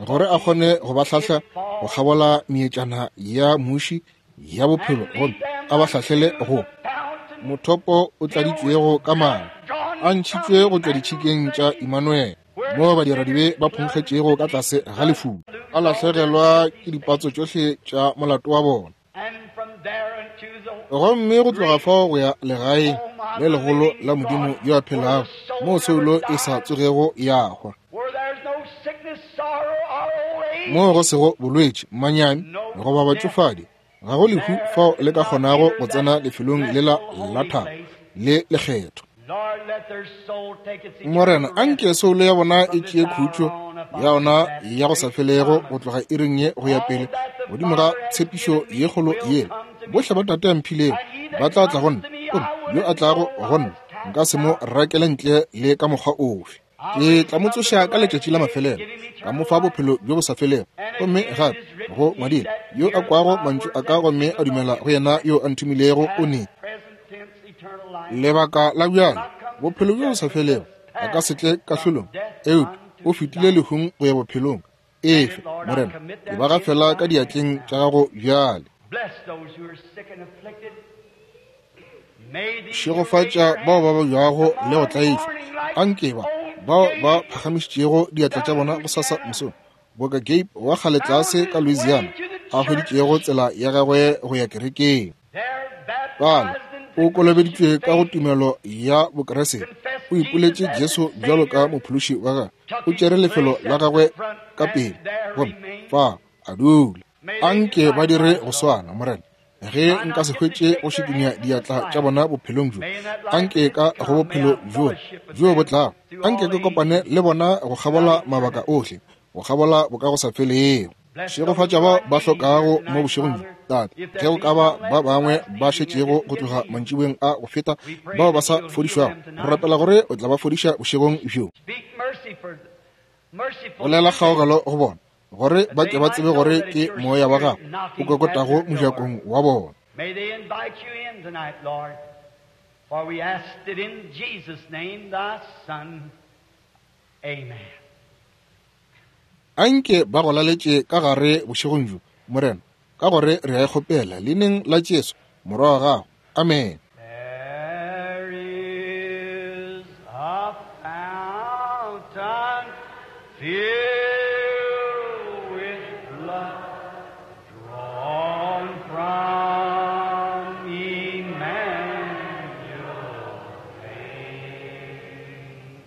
gore a kgone go ba hlahla go kgabola meetšana ya muši ya bophelo, gomme a ba hlahlele go mothopo o tladitšwego ka madi, a ntšhitšwe go tšwa ditšhikeng tša Immanuel, moo badiradibe ba phonkgetšego ka tlase ga lefulo, ba lahlegelwa ke dipatso tšohle tša molato wa bona. Gomme go tloga fao go ya legaeng le legolo la Modimo yo a phelago, moo soulo e sa tsogego ya hwa, moo go sego bolwetši, manyami goba batšofadi, ga go lehu fao le ka kgonago go tsena lefelong lela la thabo le lekgetho. Morena, anke soulo ya bona e tšee khutšo ya ona ya go sa felego go tloga iring ye go ya pele, godimo ga tshepišo ye kgolo yela, bohle ba Tate a mphilego ba tla tla go nna, gomme yo a tlago go nna nka se mo rakele ntle le ka mokgwa ofe. Ke tla mo tsoša ka letšatši la mafelelo, ka mo fa bophelo bjo bo sa felego. Gomme gape go ngwadile, yo a kwago mantšu a ka gomme a dumela go yena yo a nthomilego o ne lebaka la bjale bophelo bjo bo sa felego, a ka se tle kahlolong, eupša o fetile lehung go ya bophelong. Efe, Morena, ke ba gafela ka diatleng tša gago bjale. Šegofatša bao ba babjago le go tlaišwa. Anke ba bao ba phagamišitšego diatla tša bona gosasa mosong, boka Gabe wa kgale tlase ka Louisiana a hweditšego tsela ya gagwe go ya kerekeng. Bale o kolobeditšwe ka go tumelo ya Bokeresete, o ipoletše Jesu bjalo ka Mophološi wa gagwe, o tšere lefelo la gagwe ka pele, gomme fa a dula. Anke ba dire go swana, Morena. Ge nka se hwetše go šikinya diatla tša bona bophelong bjo, anke ka go bophelo bjo bjo bo tlago, anke ke kopane le bona go kgabola mabaka ohle, go kgabola bokagosafelego. Šegofatša bao ba hlokago mo bošegong bjo, Tate. Ge go ka ba ba bangwe ba šetšego go tloga mantšiboeng a go feta bao ba sa fodišwago, re rapela gore o tla ba fodiša bošegong bjo. Bolela kgaogelo go bona, gore ba ke ba tsebe gore ke moya wa gago o kokotago mojakong wa bona. May they invite you in tonight, Lord, for we asked it in Jesus' name, thy Son. Amen. Anke ba go laletše ka gare bošegong bjo, Morena, ka gore re a e kgopela leineng la Jesu, Morwa wa gago. Amen. There is a fountain filled with blood drawn from Emmanuel's veins,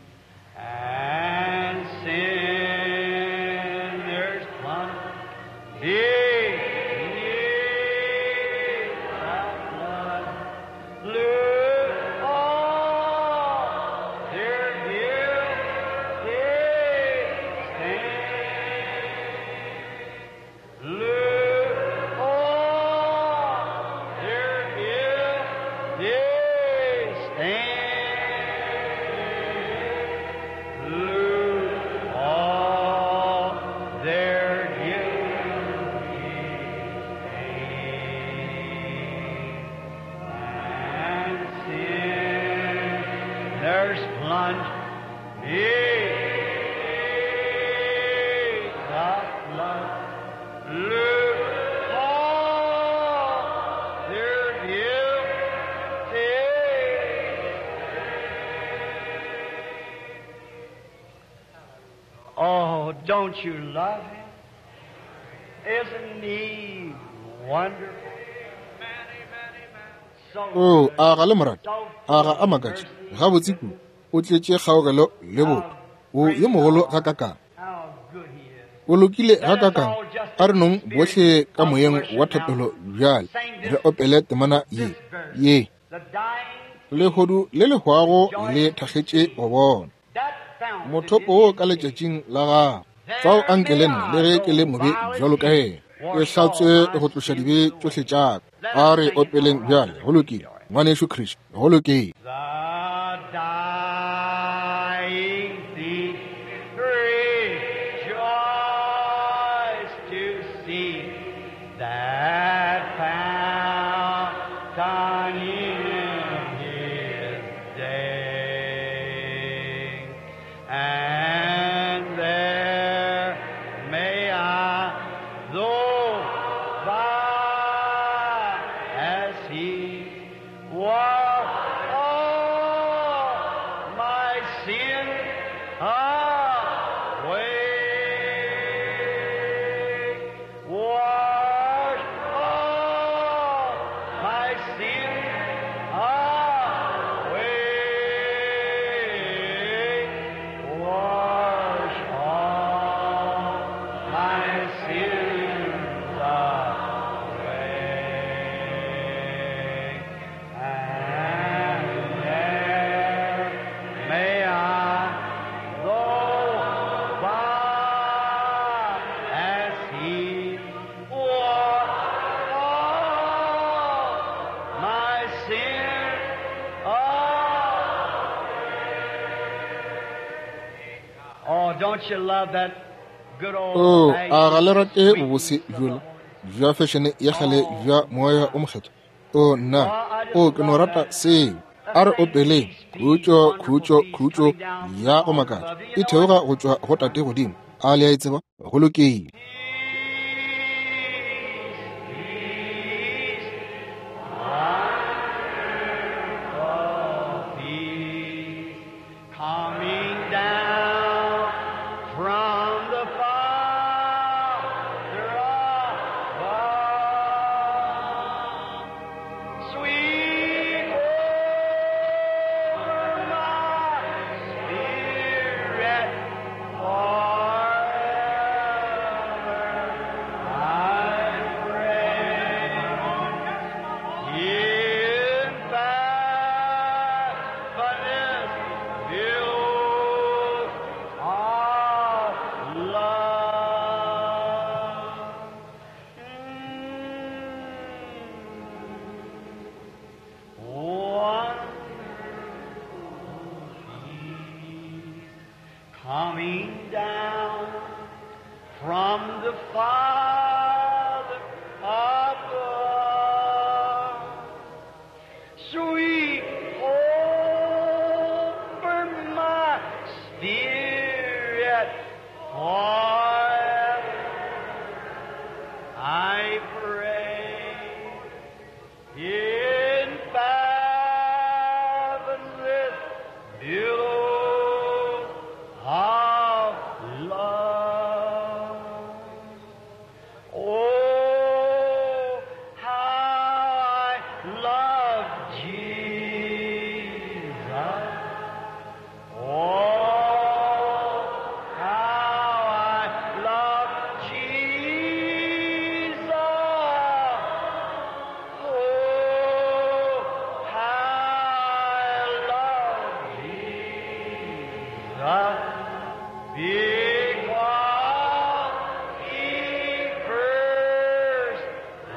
and sinners plunge beneath that blood. Lose all their guilty stain. Lose all their guilty stain. Lose all their guilty stain. And sinners plunge beneath the flood. Lose all their guilty. Oh, don't you love him? Isn't he wonderful? So O a ga le morata, a ga a makatše gabotse kudu, o tletše kgaogelo le botho, o yo mogolo gakakang, how good he is. o lokile gakakang. A re nong bohle ka moyeng wa thapelo bjale re opele temana ye ye. The dying Lehodu le le hwago le thakgetše go bona that fountain mothopo wo ka letšatšing la gago. Fao anke le nna, le ge ke le mobe bjalo ka yena, ke hlatswe go tloša dibe tšohle tša ka. A re opeleng bjale. Go lokile, ngwanešu Chris, go lokile. The dying thief rejoiced to see that in His day. And there may I, though by as He was all my sin away, wash all my sin away, wash all my sins away, and there may I go by as He washed all my sin away. Oh, don't you love that good old O a ga le rate bobose bjola bja fešene ya kgale bja moya o mokgethwa? O nna, o ke no rata seo. A re opeleng khutšo, khutšo, khutšo ya go makatša e theoga go tšwa go Tate godimo. A le a e tseba? Go lokile. Peace, peace, wonderful peace, coming down from the Father above. Sweet over my spirit forever I pray. In faithfulness build our love. Wonderful peace coming down from the Father above. Sweet over my spirit forever I pray. In fathomless billows of love. Oh, how I love Jesus. Oh, how I love Jesus. Oh, how I love Jesus. Because He first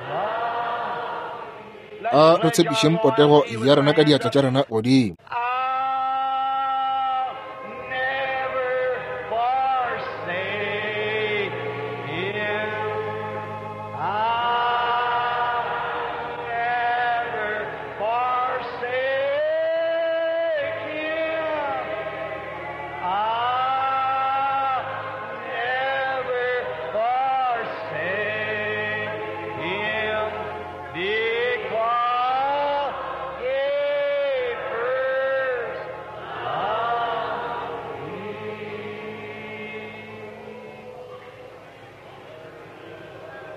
loved. A re tshepišeng potego ya rena ka diatla tša rena godimo. I'll never forsake him. I'll never forsake him. I'll never forsake him because he first loved me.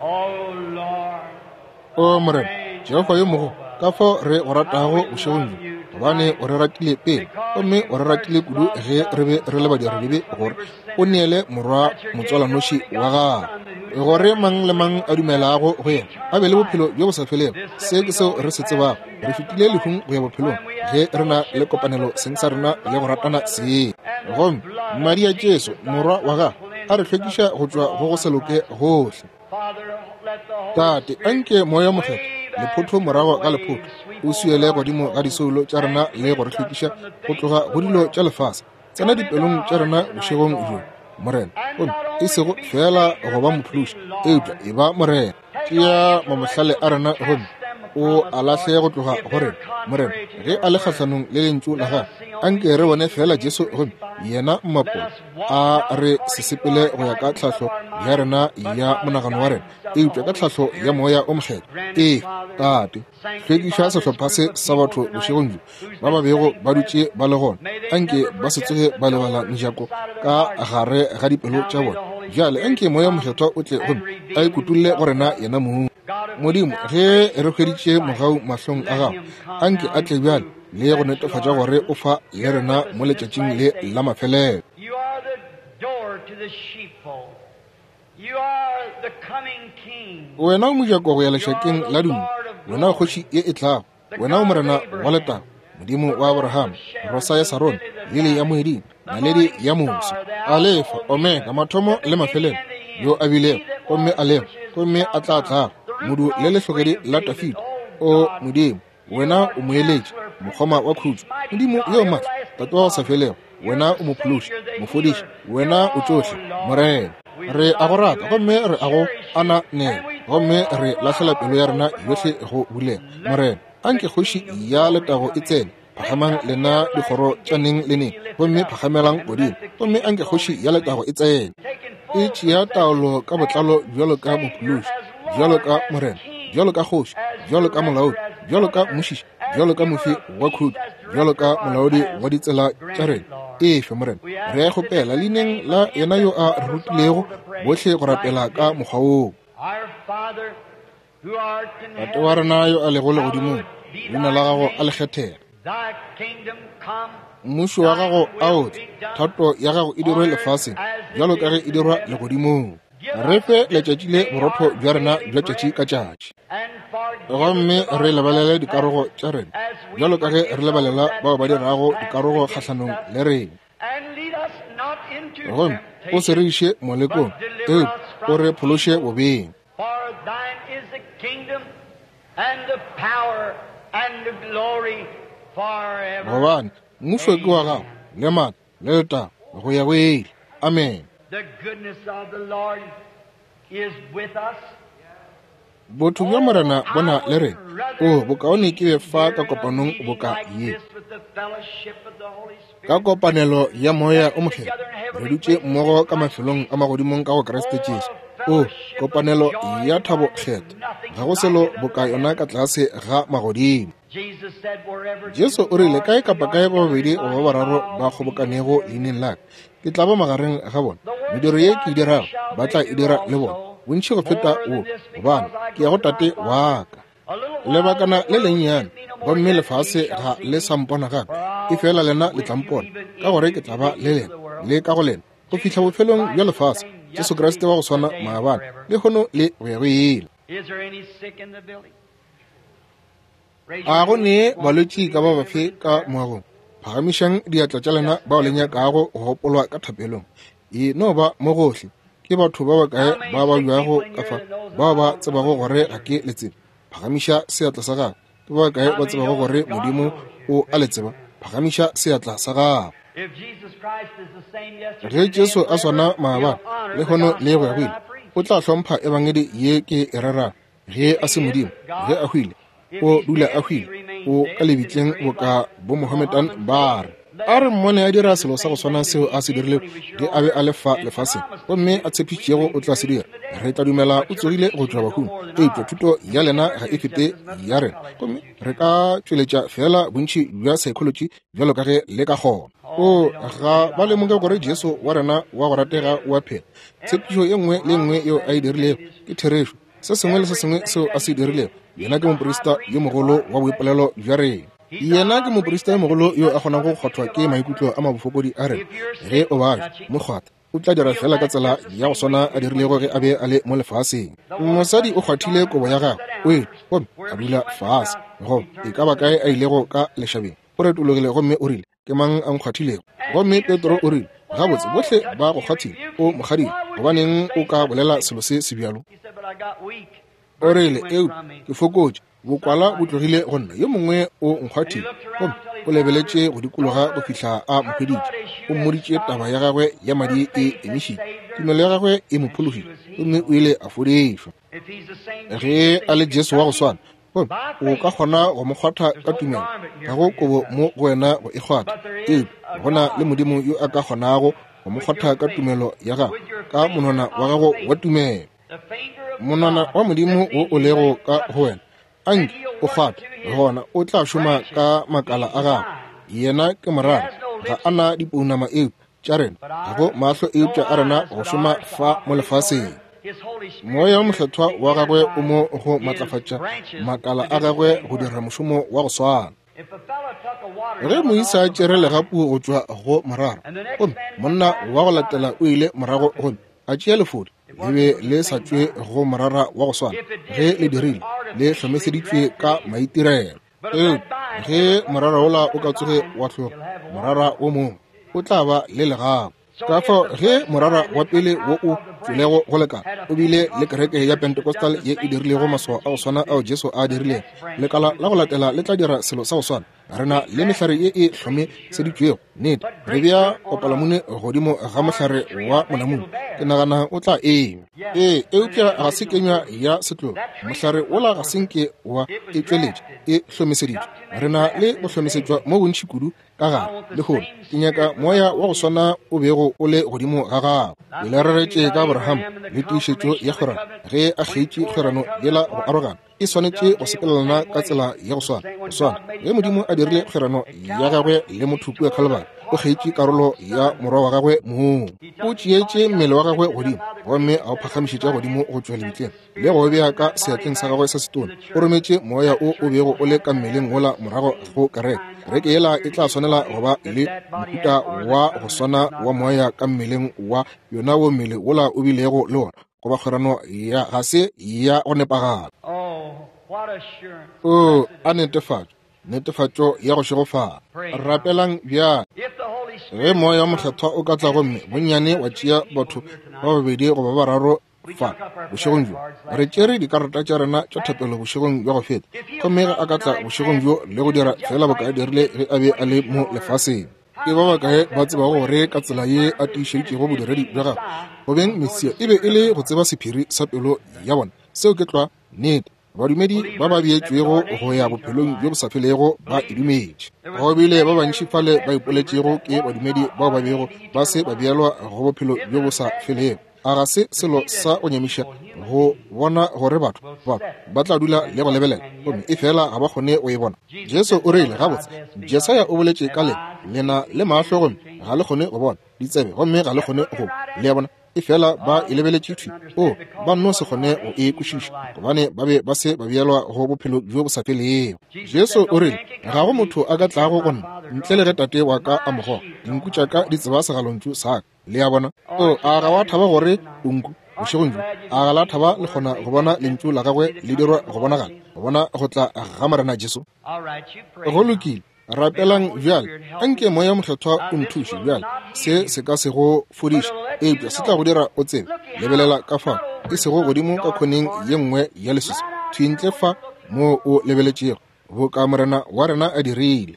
Oh Lord, O Morena, Jehofa yo mogolo, ka fao re go ratago bošegong bjo, gobane o re ratile pele, gomme o re ratile kudu ge re be re le badiradibe, gore o neele morwa motswalanoši wa gagwe, gore mang le mang a dumelago go yena a be le bophelo bjo bo sa felego. Se ke seo re se tsebago, re fetile lehung go ya bophelong ge re na le kopanelo seng sa rena le go ratana seng. Gomme madi a Jesu morwa wa gagwe a re hlwekiša go tšwa go go se loke gohle. Father, let the Holy Tate, Spirit anke moya o mokgethwa wave lephotho after morago ga wave lephotho sweep o swiele over godimo us ga disoulo tša rena and le go re cleanse us hlwekiša from the go things tloga of go the dilo world. tša lefase. Tsena Come into dipelong our tša rena hearts tonight, bošegong bjo, Lord. Morena, And gomme not e only sego be fela Savior, go ba but be mophološi, eupša Lord. e ba Morena. Take Tšea our mamohlale intellectuals a and rena gomme cast them o a lahle go tloga go rena, Morena, ge a le kgahlanong le Lentšu la Gago. Anke re bone feela Jesu gomme yena Mmapolo, a re se sepele go ya ka tlhahlo ya rena ya monagano wa rena, eupša ka tlhahlo ya Moya o Mokgethwa. Ee, Tate, hlwekiša sehlopha se sa batho bošegong bjo, ba ba bego ba dutše ba le gona. Anke ba se tsoge ba lebala mejako ka gare ga dipelo tša bona. Bjale anke Moya o Mokgethwa o tle gomme a ikutolle go rena yena mong. Modimo, ge re hweditše mogau mahlong a Gago, anke a tle bjale le go netefatša gore o fa le rena mo letšatšing le la mafelelo. Wena o mojako go ya lešakeng la dinku, wena o kgoši ye e tlago, wena o Morena wa letago, Modimo wa Abraham, Rosa ya Sarone, lili ya moeding, naledi ya moso, Alefa, Omega, mathomo le mafelelo, yo a bilego, gomme a lego, gomme a tla tlago, modu le lehlogedi la Dafida. O Modimo, wena o moeletši, mokgoma wa khutšo, Modimo yo matla, Tate wa go sa felego, wena o mophološi, mofodiši, wena o tšohle, Morena. Re a go rata gomme re a go ananela, gomme re lahlela pelo ya rena yohle go bulega. Morena, anke kgoši ya letago e tsene. Phagamang lena dikgoro tša neng le neng, gomme phagamelang godimo, gomme anke kgoši ya letago e tsene. E tšea taolo ka botlalo bjalo ka mophološi, bjalo ka Morena, bjalo ka kgoši, bjalo ka molaodi, bjalo ka mmušiši, bjalo ka mofi wa khutšo, bjalo ka molaodi wa ditsela tša rena. Efe, Morena, re a kgopela leineng la yena yo a re rutilego bohle go rapela ka mokgwa woo. Tate wa rena yo a lego legodimong, leina la gago a le kgethege. Mmušo wa gago a o tle, thato ya gago e dirwe lefaseng bjalo ka ge e dirwa legodimong. Re fe letšatši le borotho bja rena bja tšatši ka tšatši, gomme re lebalele dikarogo tša rena bjalo ka ge re lebalela bao ba dirago dikarogo kgahlanong le rena. Gomme o se re iše molekong, eupša o re phološe bobeng. Gobane mmušo ke wa gago, le maatla, le letago, go ya go ile. Amen. Botho bja Morena bo na le rena. O bokaone ke be fa ka kopanong boka ye. Ka kopanelo ya Moya o Mokgethwa, re dutše mmogo ka mafelong a magodimong ka go Kriste Jesu. O kopanelo ya thabo kgethwa, ga go selo boka yona ka tlase ga magodimo. Jesu o rile, kae kapa kae ba babedi goba ba bararo ba kgobokanego leineng la ka, ke tla ba magareng ga bona. Mediro ye ke e dirago ba tla e dira le bona, bontši go feta wo, gobane ke ya go Tate wa ka. Lebakana le lennyane, gomme lefase ga le sa mpona gape, efela lena le tla mpona, ka gore ke tla ba le lena le ka go lena go fihla bofelong bja lefase. Jesu Kriste wa go swana maabane, lehono le go ya go ile. A go ne balwetši ka ba bafe ka moagong? Phagamišang diatla tša lena bao le nyakago go gopolwa ka thapelong. E no ba mo gohle. Ke batho ba bakae ba babjago ka fa bao ba tsebago gore ga ke le tsebe? Phagamiša seatla sa gago. Ke ba bakae ba tsebago gore Modimo o a le tseba? Phagamiša seatla sa gago. Ge Jesu a swana maabane, lehono le go ya go ile, o tla hlompha ebangedi ye ke e rerago. Ge a se Modimo, ge a hwile, o dula a hwile, o ka lebitleng boka bo Mohammedan ba re. A re mmone a dira selo sa go swana seo a se dirilego ge a be a le fa lefaseng, gomme a tshepišitšego o tla se dira. Re tla dumela o tsogile go tšwa bahung, eupša thuto ya lena ga e fete ya rena, gomme re ka tšweletša feela bontši bja psychology bjalo ka ge le ka kgona. O ga ba lemoge gore Jesu wa rena wa go ratega o a phela. Tshepišo ye nngwe le nngwe yeo a e dirilego ke therešo. Se sengwe le se sengwe seo a se dirilego, yena ke moprista yo mogolo wa boipolelo bja rena. Yena ke moprista yo mogolo yo a kgonago go kgwathwa ke maikutlo a mabofokodi a rena. Ge o babja, mo kgwatha, o tla dira feela ka tsela ya go swana a dirilego ge a be a le mo lefaseng. Mosadi o kgwathile kobo ya gagwe, o ile gomme a dula fase, goba e ka ba kae a ilego ka lešabeng. O retologile gomme o rile, Ke mang a nkgwathilego? Gomme Petro o rile, Gabotse, bohle ba go kgwathile, o mokgadile, gobaneng o ka bolela selo se sebjalo? O rile, Eupša ke fokotše, bokwala bo tlogile go nna, yo mongwe o nkgwathile. Gomme o lebeletše go dikologa go fihla a mo hweditše. O mmoditše taba ya gagwe ya madi e emišitše, tumelo ya gagwe e mo phologile, gomme o ile a fodišwa. Ge a le Jesu wa go swana, Gomme o ka kgona go mo kgwatha ka tumelo, ga go kobo mo go wena go e kgwatha, eupša go na le Modimo yo a ka kgonago go mo kgwatha ka tumelo ya gago, ka monwana wa gago wa tumelo. Monwana wa Modimo wo o lego ka go wena, anke o kgwathe, gona o tla šoma ka makala a gago. Yena ke morara, ga a na dipounama eupša tša rena, ga go mahlo eupša a rena go šoma fa mo lefaseng. Moya wo Mokgethwa wa gagwe o mo go matlafatša makala a gagwe go dira mošomo wa go swana. Ge moisa a tšere legapu go tšwa go morara, gomme monna wa go latela o ile morago gomme a tšea lefodi, le be le sa tšwe go morara wa go swana. Ge le dirile, le hlomeseditšwe ka maitirelo. Eupša ge morara wola o ka tsoge wa hloga morara wo mongwe, o tla ba le legapu. Ka fao ge morara wa pele wo o tšwelego go lekala o bile le kereke ya Pentecostal ye e dirilego maswao a go swana ao Jesu a dirilego, lekala la go latela le tla dira selo sa go swana. Re na le mehlare ye e hlomeseditšwego, nnete, re bea kopalamune godimo ga mohlare wa monamune, ke nagana o tla enywa. Ee, eupša ga se kenywa ya setlogo, mohlare wola ga se nke wa e tšweletša, e hlomeseditšwe. Re na le go hlomesetšwa mo bontši kudu ka gare lehono. Ke nyaka moya wa go swana o bego o le godimo ga gago. Ke le reretše ka Abraham le tiišetšo ya kgwerano, ge a kgeitše kgwerano yela go arogana, e swanetše go sepelelana ka tsela ya go swana. Go swana, ge Modimo a dirile kgwerano ya gagwe le motho kua Calvary, o kgeitše karolo ya morwa wa gagwe mong. O tšeetše mmele wa gagwe godimo gomme a o phagamišetša godimo go tšwa lebitleng le go bea ka seatleng sa gagwe sa setona. O rometše moya o o bego o le ka mmeleng wola morago go kereke. Kereke yela e tla swanela go ba le mohuta wa go swana wa moya ka mmeleng wa yona wo mmele wola o bilego le wona, goba kgwerano ya ga se ya go nepagala. O a netefatšo, netefatšo ya go šegofala. Rapelang bjale. Ge Moya wa Mokgethwa o ka tla gomme bonnyane wa tšea batho ba babedi goba ba bararo fa bošegong bjo, re tšere dikarata tša rena tša thapelo bošegong bja go feta, gomme ge a ka tla bošegong bjo le go dira feela boka a dirile ge a be a le mo lefaseng. Ke ba bakae ba tsebago gore ka tsela ye a tiišeditšego bodiredi bja gagwe go beng Mesia e be e le go tseba sephiri sa pelo ya bona? Seo ke tlwa nnete. Badumedi ba ba beetšwego go ya bophelong bjo bo sa felego ba e dumetše. Go bile ba bantši fale ba ipoletšego ke badumedi bao ba bego ba se ba beelwa go bophelo bjo bo sa felego. A ga se selo sa go nyamiša go bona gore batho ba ba tla dula le go lebelela gomme e fela ga ba kgone go e bona? Jesu o rile, gabotse, Jesaya o boletše ka le, lena le mahlo gomme ga le kgone go bona, ditsebe gomme ga le kgone go, le a bona, e fela ba e lebeletše thwi. O, ba nno se kgone go e kwešiša, gobane ba be ba se ba beelwa go bophelo bjo bo sa felego. Jesu o rile, ga go motho a ka tlago go nna ntle le ge Tate wa ka a mo goga. Dinku tša ka di tseba segalontšu sa ka. Le a bona? O, a ga wa thaba gore o nku bošegong bjo? A ga la thaba le kgona go bona Lentšu la Gagwe le dirwa go bonagala, go bona go tla ga Morena Jesu? Go lokile, rapelang bjale. Anke Moya Mokgethwa o nthuše bjale. Se se ka se go fodiše, eupša se tla go dira o tsebe. Lebelela ka fa, e sego godimo ka khoneng ye nngwe ya leswiswi, thwi ntle fa moo o lebeletšego, boka Morena wa rena a dirile.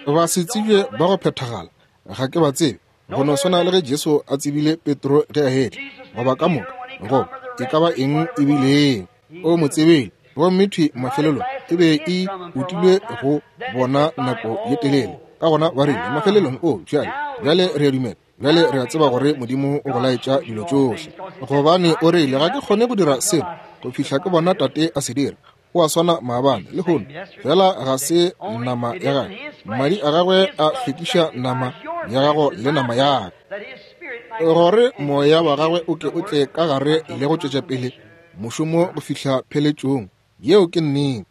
Ba se tsebje ba go phethagala, ga ke ba tsebe, go no swana le ge Jesu a tsebile Petro ge a etla, goba ka moka, goba e ka ba eng e bilego, o mo tsebile. Gomme thwi mafelelong e be e utilwe go bona nako ye telele. Ka gona ba rile mafelelong, o bjale, bjale re a dumela, bjale re a tseba gore Modimo o go laetša dilo tšohle, gobane o rile, ga ke kgone go dira selo go fihla ke bona Tate a se dira. O a swana maabane, lehono, fela ga se nama ya gagwe. Madi a gagwe a hlwekiša nama ya gago le nama ya ka, gore moya wa gagwe o ke o tle ka gare le go tšwetša pele mošomo go fihla pheletšong. Yeo ke nnete.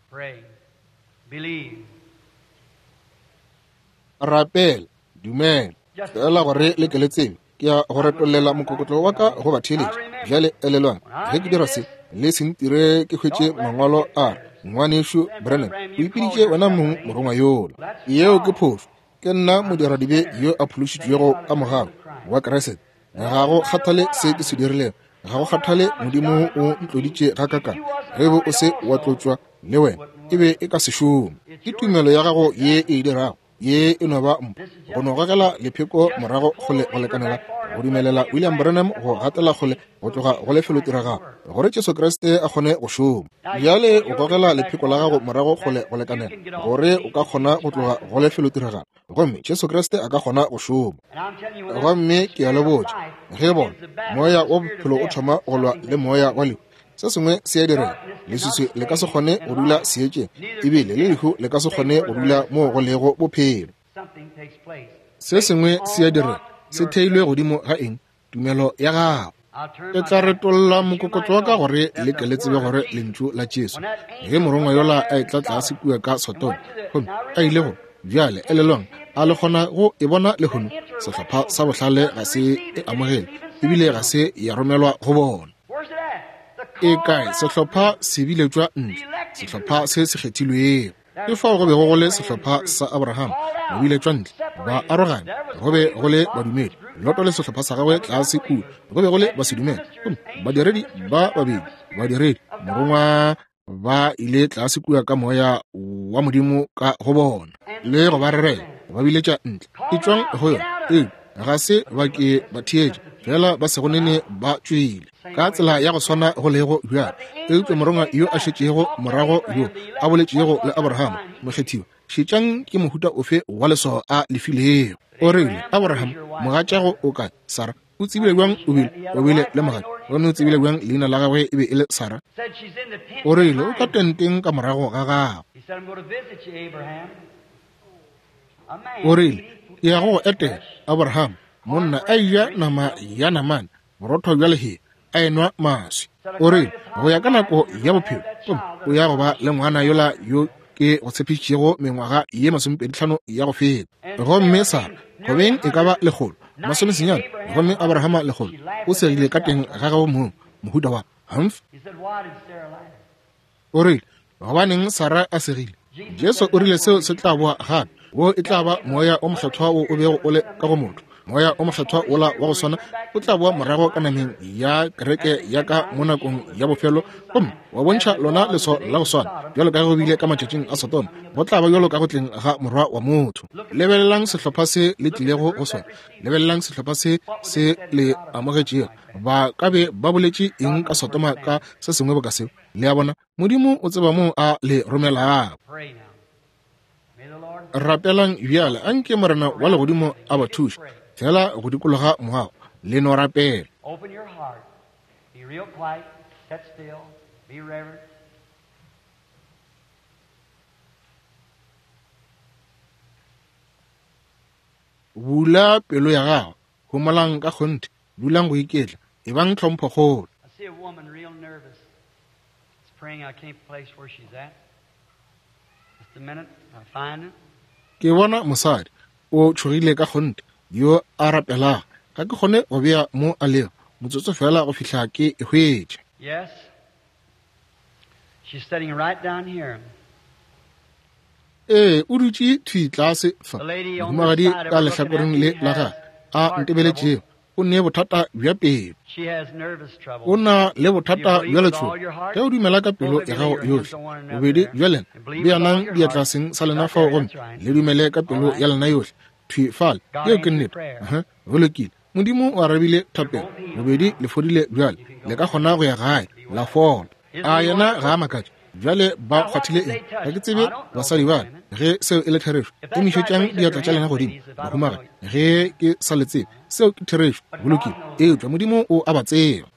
Rapela, dumela. Fela gore le ke le tsebe, ke ya go retollela mokokotlo wa ka go batheeletši. Bjale elelwang, ge ke dira se, le se ntire ke hwetše mangwalo a re, Ngwanešu Branham, o ipiditše wena mong morongwa yola. Yeo ke phošo. Ke nna modiradibe yo a phološitšwego ka mogau wa Kriste. Ga go kgathale se ke se dirilego, ga go kgathale Modimo o ntloditše gakakang, ge be o se wa tlotšwa le wena, e be e ka se šome. Ke tumelo ya gago ye e e dirago. Ye e no ba mpho, go no gogela lepheko morago kgole go lekanela go dumelela William Branham go gatela kgole go tloga go lefelotiragalo, gore Jesu Kriste a kgone go šoma. Bjale o gogela lepheko la gago morago kgole go lekanela gore o ka kgona go tloga go lefelotiragalo, gomme Jesu Kriste a ka kgona go šoma. Gomme ke a le botša, ge bona moya wa bophelo o thoma go lwa le moya wa lehu, se sengwe se a direga. Leswiswi le ka se kgone go dula seetšeng, ebile le lehu le ka se kgone go dula moo go lego bophelo. Se sengwe se a direga. Se theilwe godimo ga eng? Tumelo ya gago. Ke tla retolla mokokotlo wa ka gore le ke le tsebe gore lentšu la Jesu, ge morongwa yola a etla tlase kua ka Sodoma gomme a ile go, bjale elelwang, a le kgona go e bona lehono? Sehlopha sa bohlale ga se e amogele, ebile ga se ya romelwa go bona. E kae? Sehlopha se biletšwa ntle, sehlopha se se kgethilwego. Ke fao go bego go le sehlopha sa Abraham, ba biletšwa ntle, ba arogane. Go be go le badumedi, Loto le sehlopha sa gagwe tlase kua, go be go le basedumele. Gomme badiredi ba babedi, badiredi, morongwa, ba ile tlase kua ka moya wa Modimo ka go bona, le go ba rerela, ba biletša ntle, etšwang go yona. Ee, ga se ba ke ba theetša, fela ba sego nene ba tšwele. Ka tsela ya go swana go lego bjalo, eupša morongwa yo a šetšego morago yo a boletšego le Abraham, mokgethiwa, šetšang ke mohuta ofe wa leswao a le filego. O rile, Abraham, mogatšago o kae? Sara. O tsebile bjang o bile, o bile le mogatša? Gomme o tsebile bjang leina la gagwe e be e le Sara? O rile, o ka tenteng ka morago ga gago. O rile, ke ya go go etela, Abraham, monna a eja nama ya namane, borotho bja lehea, a enwa maswi. O rile, go ya ka nako ya bophelo, gomme o ya go ba le ngwana yola yo ke go tshepišitšego mengwaga ye 25 ya go feta. Gomme Sara, gobeng e ka ba 190, gomme Abrahama 100, o segile ka teng ga gagwe mong, mohuta wa humph. O rile, gobaneng Sara a segile? Jesu o rile seo se tla boa gape. Wo e tla ba Moya o Mokgethwa wo o bego o le ka go motho. Moya o Mokgethwa wola wa go swana o tla boa morago ka nameng ya kereke ya ka mo nakong ya bofelo, gomme wa bontšha lona leswao la go swana bjalo ka ge go bile ka matšatšing a Sodoma, go tla ba bjalo ka go tleng ga Morwa wa motho. Lebelelang sehlopha se le tlilego go sona. Lebelelang sehlopha se se le amogetšego. Ba ka be ba boletše eng ka Sodoma ka se sengwe boka seo? Le a bona, Modimo o tseba moo a le romelago. Rapelang bjale, anke Morena wa legodimo a ba thuše fela go dikologa moago. Le no rapela. Bula pelo ya gago, homolang ka kgonthe, dulang go iketla, ebang tlhomphokgolo. Ke bona mosadi o tšhogile ka kgonthe yo a rapelago. Ga ke kgone go bea mo a lego, motsotso fela go fihla ke e hwetša. Ee, o dutše thwi tlase fa, mohumagadi ka lehlakoreng le la gagwe a ntebeletšego. O ne bothata bja pelo. O na le bothata bja letšhogo. Ge o dumela ka pelo ya gago yohle, bobedi bja lena beanang diatla seng sa lena fao gomme le dumele ka pelo ya lena yohle. Thwi fale. Yeo ke nnete. Uh-huh. Go lokile. Modimo o arabile thapelo. Bobedi le fodile bjale. Le ka kgona go ya gae, la fola. A yena ga a makatše? Bjale ba kgwathile eng? Ga ke tsebe basadi ba. Ge seo e le therešo, emišetšang diatla tša lena godimo, bahumagadi. Ge ke sa le tsebe, seo ke therešo. Go lokile. Eupša Modimo o a ba tseba.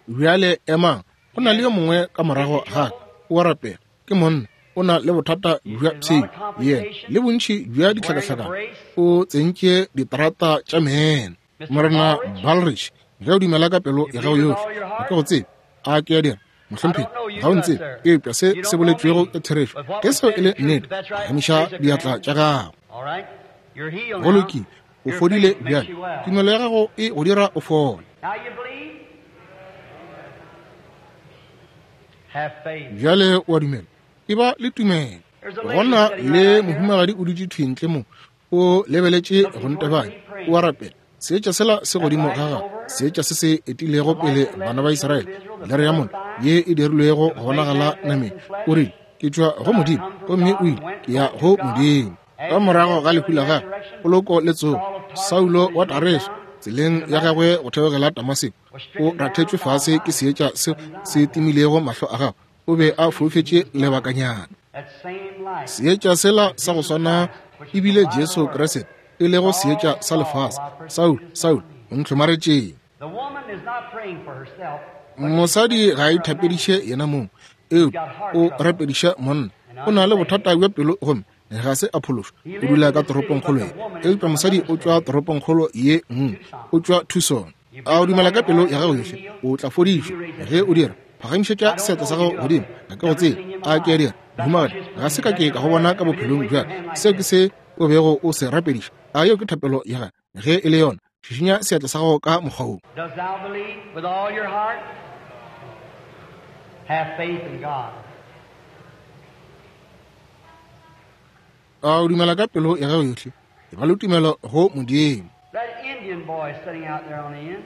Bjale emang. Go na le yo mongwe ka morago ga ka, o a rapela. Ke monna, o na le bothata bja pshio, yena le bontši bja ditlhakahlakano, o tsentše ditarata tša meno. Morena Balrich, ge o dumela ka pelo ya gago yohle, ga ke go tsebe. A ke a dira, mohlomphegi? Ga o ntsebe, eupša se se boletšwego ke therešo. Ge seo e le nnete, phagamiša diatla tša gago. Go lokile, o fodile bjale. Tumelo ya gago e go dira o fole. Bjale o a dumela? Eba le tumelo. Go na le mohumagadi o dutše thwi ntle mo, o lebeletše go ntebanya, o a rapela. Seetša sela se godimo ga gagwe, seetša se se etilego pele bana ba Israele, lere ya mollo ye e dirilwego go bonagala nameng. O rile, Ke tšwa go Modimo, gomme o ile, ke ya go Modimo. Ka morago ga lehu la gagwe, poloko le tsogo, Saulo wa Tareso, tseleng ya gagwe go theogela Damaseko, o rathetšwe fase ke seetša seo se timilego mahlo a gagwe. O be a foufetše lebakanyana. Seetša sela sa go swana e bile Jesu Kriste, e lego seetša sa lefase. Saul, Saul, o ntlhomaretšeng? Mosadi ga a ithapediše yena mong, eupša o rapediša monna. O na le bothata bja pelo gomme ga se a phološwa. O dula ka toropongkgolo ye, eupša mosadi o tšwa toropongkgolo ye nngwe, o tšwa Tucson. A o dumela ka pelo ya gago yohle, o tla fodišwa. Ge o dira, phagamišetša seatla sa gago godimo. Ga ke go tsebe, a ke a dira, mohumagadi? Ga se ka ke ka go bona ka bophelong bja ka. Seo ke se o bego o se rapediša. A yeo ke thapelo ya gago? Ge e le yona, šišinya seatla sa gago ka mokgwa wo. Dost thou believe with all your heart? Have faith in God. A o dumela ka pelo ya gago yohle? E ba le tumelo go Modimo. That Indian boy sitting out there on the end.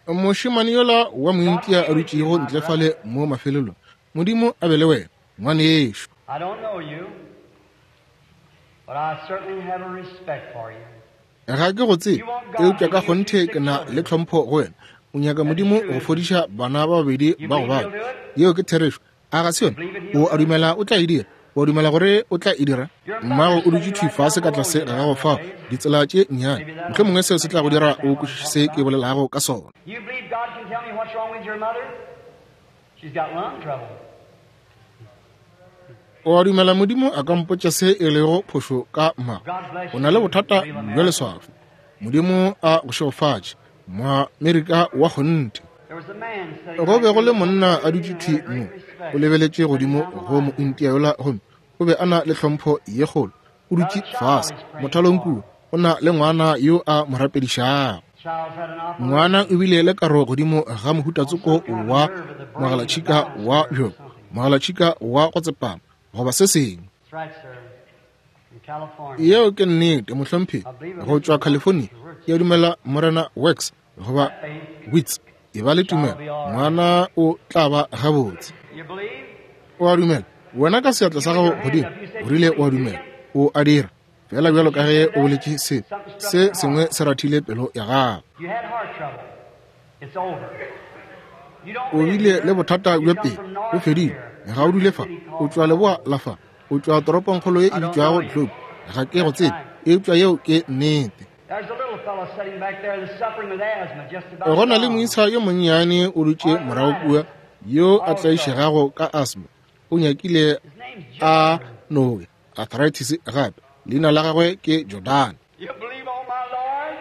Mošemane yola wa Mointia a dutšego ntle fale mo mafelelong, Modimo a be le wena, ngwanešu. I don't know you, but I certainly have a respect for you. Ga ke go tsebe, eupša ka kgonthe ke na le tlhompho go wena. O nyaka Modimo go fodiša bana ba babedi ba go babja. Yeo ke therešo. A ga se yona? O a dumela o tla e dira? O a dumela gore o tla e dira? Mmago o dutše thwi fase ka tlase ga gago fao, ditsela tše nnyane. Mohlomongwe seo se tla go dira o kwešiše se ke bolelago ka sona. You believe God can tell me what's wrong with your mother? She's got lung trouble. O a dumela Modimo a ka mpotša se e lego phošo ka mmago? O na le bothata bja leswafo. Modimo a go šegofatše, Moamerika wa kgonthe. There was a man sitting Go right be go le here monna a who dutše had thwi great mo, respect o lebeletše godimo sitting down the go line. Mointia yola gomme o be a na le tlhompho ye kgolo. O Got a dutše child fase he's praying mothalong for. kua, o na le ngwana yo a mo rapedišago. Child's had an operation Ngwana o bile le karo godimo ga on mohutatsoko some kind of wa nerve of the brain, the mogalatšhika balance wa nerve or bjoko, something. mogalatšhika wa go tsepama goba se sengwe. That's right, sir. From California. Yeo ke nnete, mohlomphegi, I believe go Mr. tšwa Works California. or Wirtz. Ke a dumela Morena Works goba Faith Wits. E ba le shall tumelo, be all right. ngwana o tla ba gabotse. You believe? O a dumela wena ka seatla sa You gago with your hand godimo, up, you said o you rile o a believe, did dumela. you? O a dira fela bjalo Did ka you ge say o that? boletše se Something struck se your heart. sengwe se rathile pelo ya gago. You had heart trouble. It's over. You don't O live bile le here. bothata You bja come pelo, from bo north fedile. here, Ga o a dule fa, city o called tšwa leboa Globe. la fa, o tšwa toropongkgolo ye I e don't bitšwago know you. Globe. Ga ke go That's tsebe, right. eupša yeo ke nnete. There's a little fellow sitting back there that's suffering with asthma just Go about na le gone. moisa yo monnyane o dutše morago kua yo a Also, tlaišegago ka asthma. O nyakile his name's a Jordan. noge arthritis gape. Leina la gagwe ke Jordan. You believe on my Lord?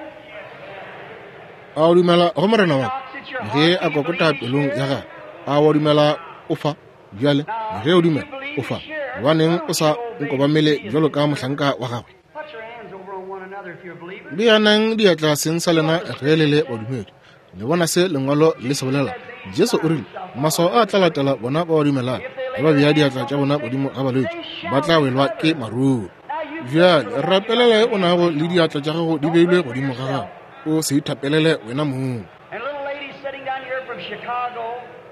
A o dumela go Morena He wa ka? knocks at your Ge heart. a Do you kokota believe he's pelong ya here? gagwe, a wa dumela o fa? Bjale, Now, ge o if you dumela believe o he's fa, here, gobaneng why o don't sa you obey nkobamele me as bjalo his ka servant? mohlanka wa gagwe? Put your hands over on one another if you're a believer. Beanang diatla seng sa You lena know what the ge le scripture le says? badumedi. Le bona se lengwalo le se bolela. Jesus said these Jesu o signs rile, shall follow maswao them a tla that latela believe. bona ba ba dumelago. If they Ge lay ba their bea hands diatla on tša the bona sick, godimo ga balwetši, they ba shall tla welwa ke recover. maruru. Now you pray Bjale for the one you got rapelela your o hands nago laid le on. diatla tša gago di Don't beilwe pray for godimo ga yourself. gago. O se ithapelele wena mong. And a little lady sitting down here from Chicago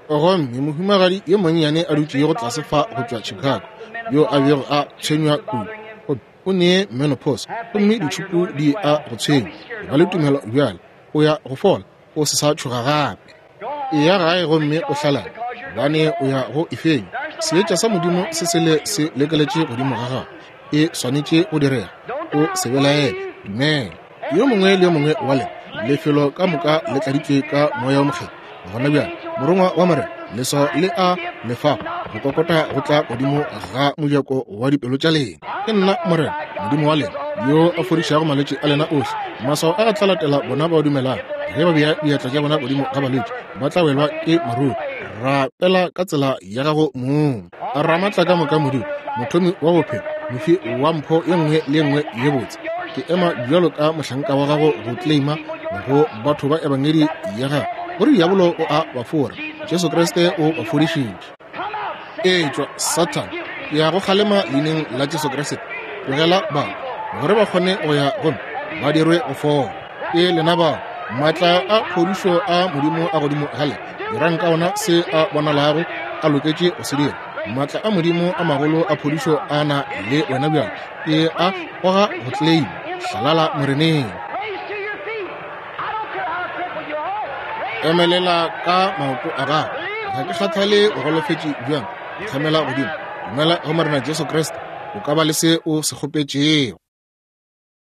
Gomme mohumagadi yo monnyane a that's been dutšego tlase bothered fa so go tšwa much and got Chicago, the yo a bego menopause, a tshwenywa tubes kudu, bothering him. gomme o ne menopause, Have gomme faith now, you're ditšhupu going to be di a well. go Don't tshwenya. be scared E no ba le more. tumelo bjale, o ya go fola, o se sa tšhoga gape. Go Eya home, gae gomme o rejoice hlalale, because you're going gobane o ya forward. go e fenya. There's the Seetša light sa of God Modimo hanging se se over le you. se lekeletše Don't godimo ga doubt. gago. E swanetše go direga. Don't O doubt. se belaele. Believe. Dumela. Yo Every mongwe le yo one mongwe is wa lena, all laid lefelo ka filled moka with the le Holy tladitšwe ka Spirit right moya o now. mokgethwa. Gona The bjale, angel of morongwa the wa Lord, Morena, the leswao sign le and a gift, lefago, the go knocking on kokota your go tla heart godimo door. ga mojako wa dipelo tša lena. Ke I'm nna the Lord Morena, thy God Modimo wa that lena, heals all thy yo a diseases. fodišago malwetši a lena These ohle. signs shall Maswao a follow a tla them that latela bona believe. ba dumelago. If they lay Ge ba their bea hands on the diatla tša sick, bona they godimo shall ga balwetši, recover. ba tla welwa Pray in ke your own maruru. way. Rapela ka tsela ya gago mong. Almighty Ramatla ka God, moka Modimo, author of life, mothomi wa giver bophelo, of every mofi good gift, wa mpho ye I nngwe le ye nngwe stand ye as botse. your Ke ema servant bjalo ka mohlanka to wa gago claim go to these claima people your go gospel batho ba ebangedi that the ya gago devil is gore diabolo subject o a and ba fora. Jesus Jesu Christ Kriste has o ba healed them. fodišitše. Come out, Satan! Etšwa, I Satan, rebuke ke thee ya go in the kgalema name of leineng Jesus la Jesu Christ. Kriste. Leave Tlogela the ba people gore ba and kgone be go ya whole gomme and be ba made dirwe well. go fola. Ke lena bao maatla Healing a power phodišo of a God Modimo a upon godimo him. ga le Do dirang what ka the ona Holy se a Jesus bonalago to do. a loketše go se dira. Maatla a Modimo a magolo a phodišo a na le wena bjale. Ke a goga go tleleima. Hlalala Moreneng. Emelela ka maoto a gago. Ga ke kgathale o golofetše bjang. Thamela godimo. Dumela go Morena Jesu Kriste. O ka ba le se o se kgopetšego.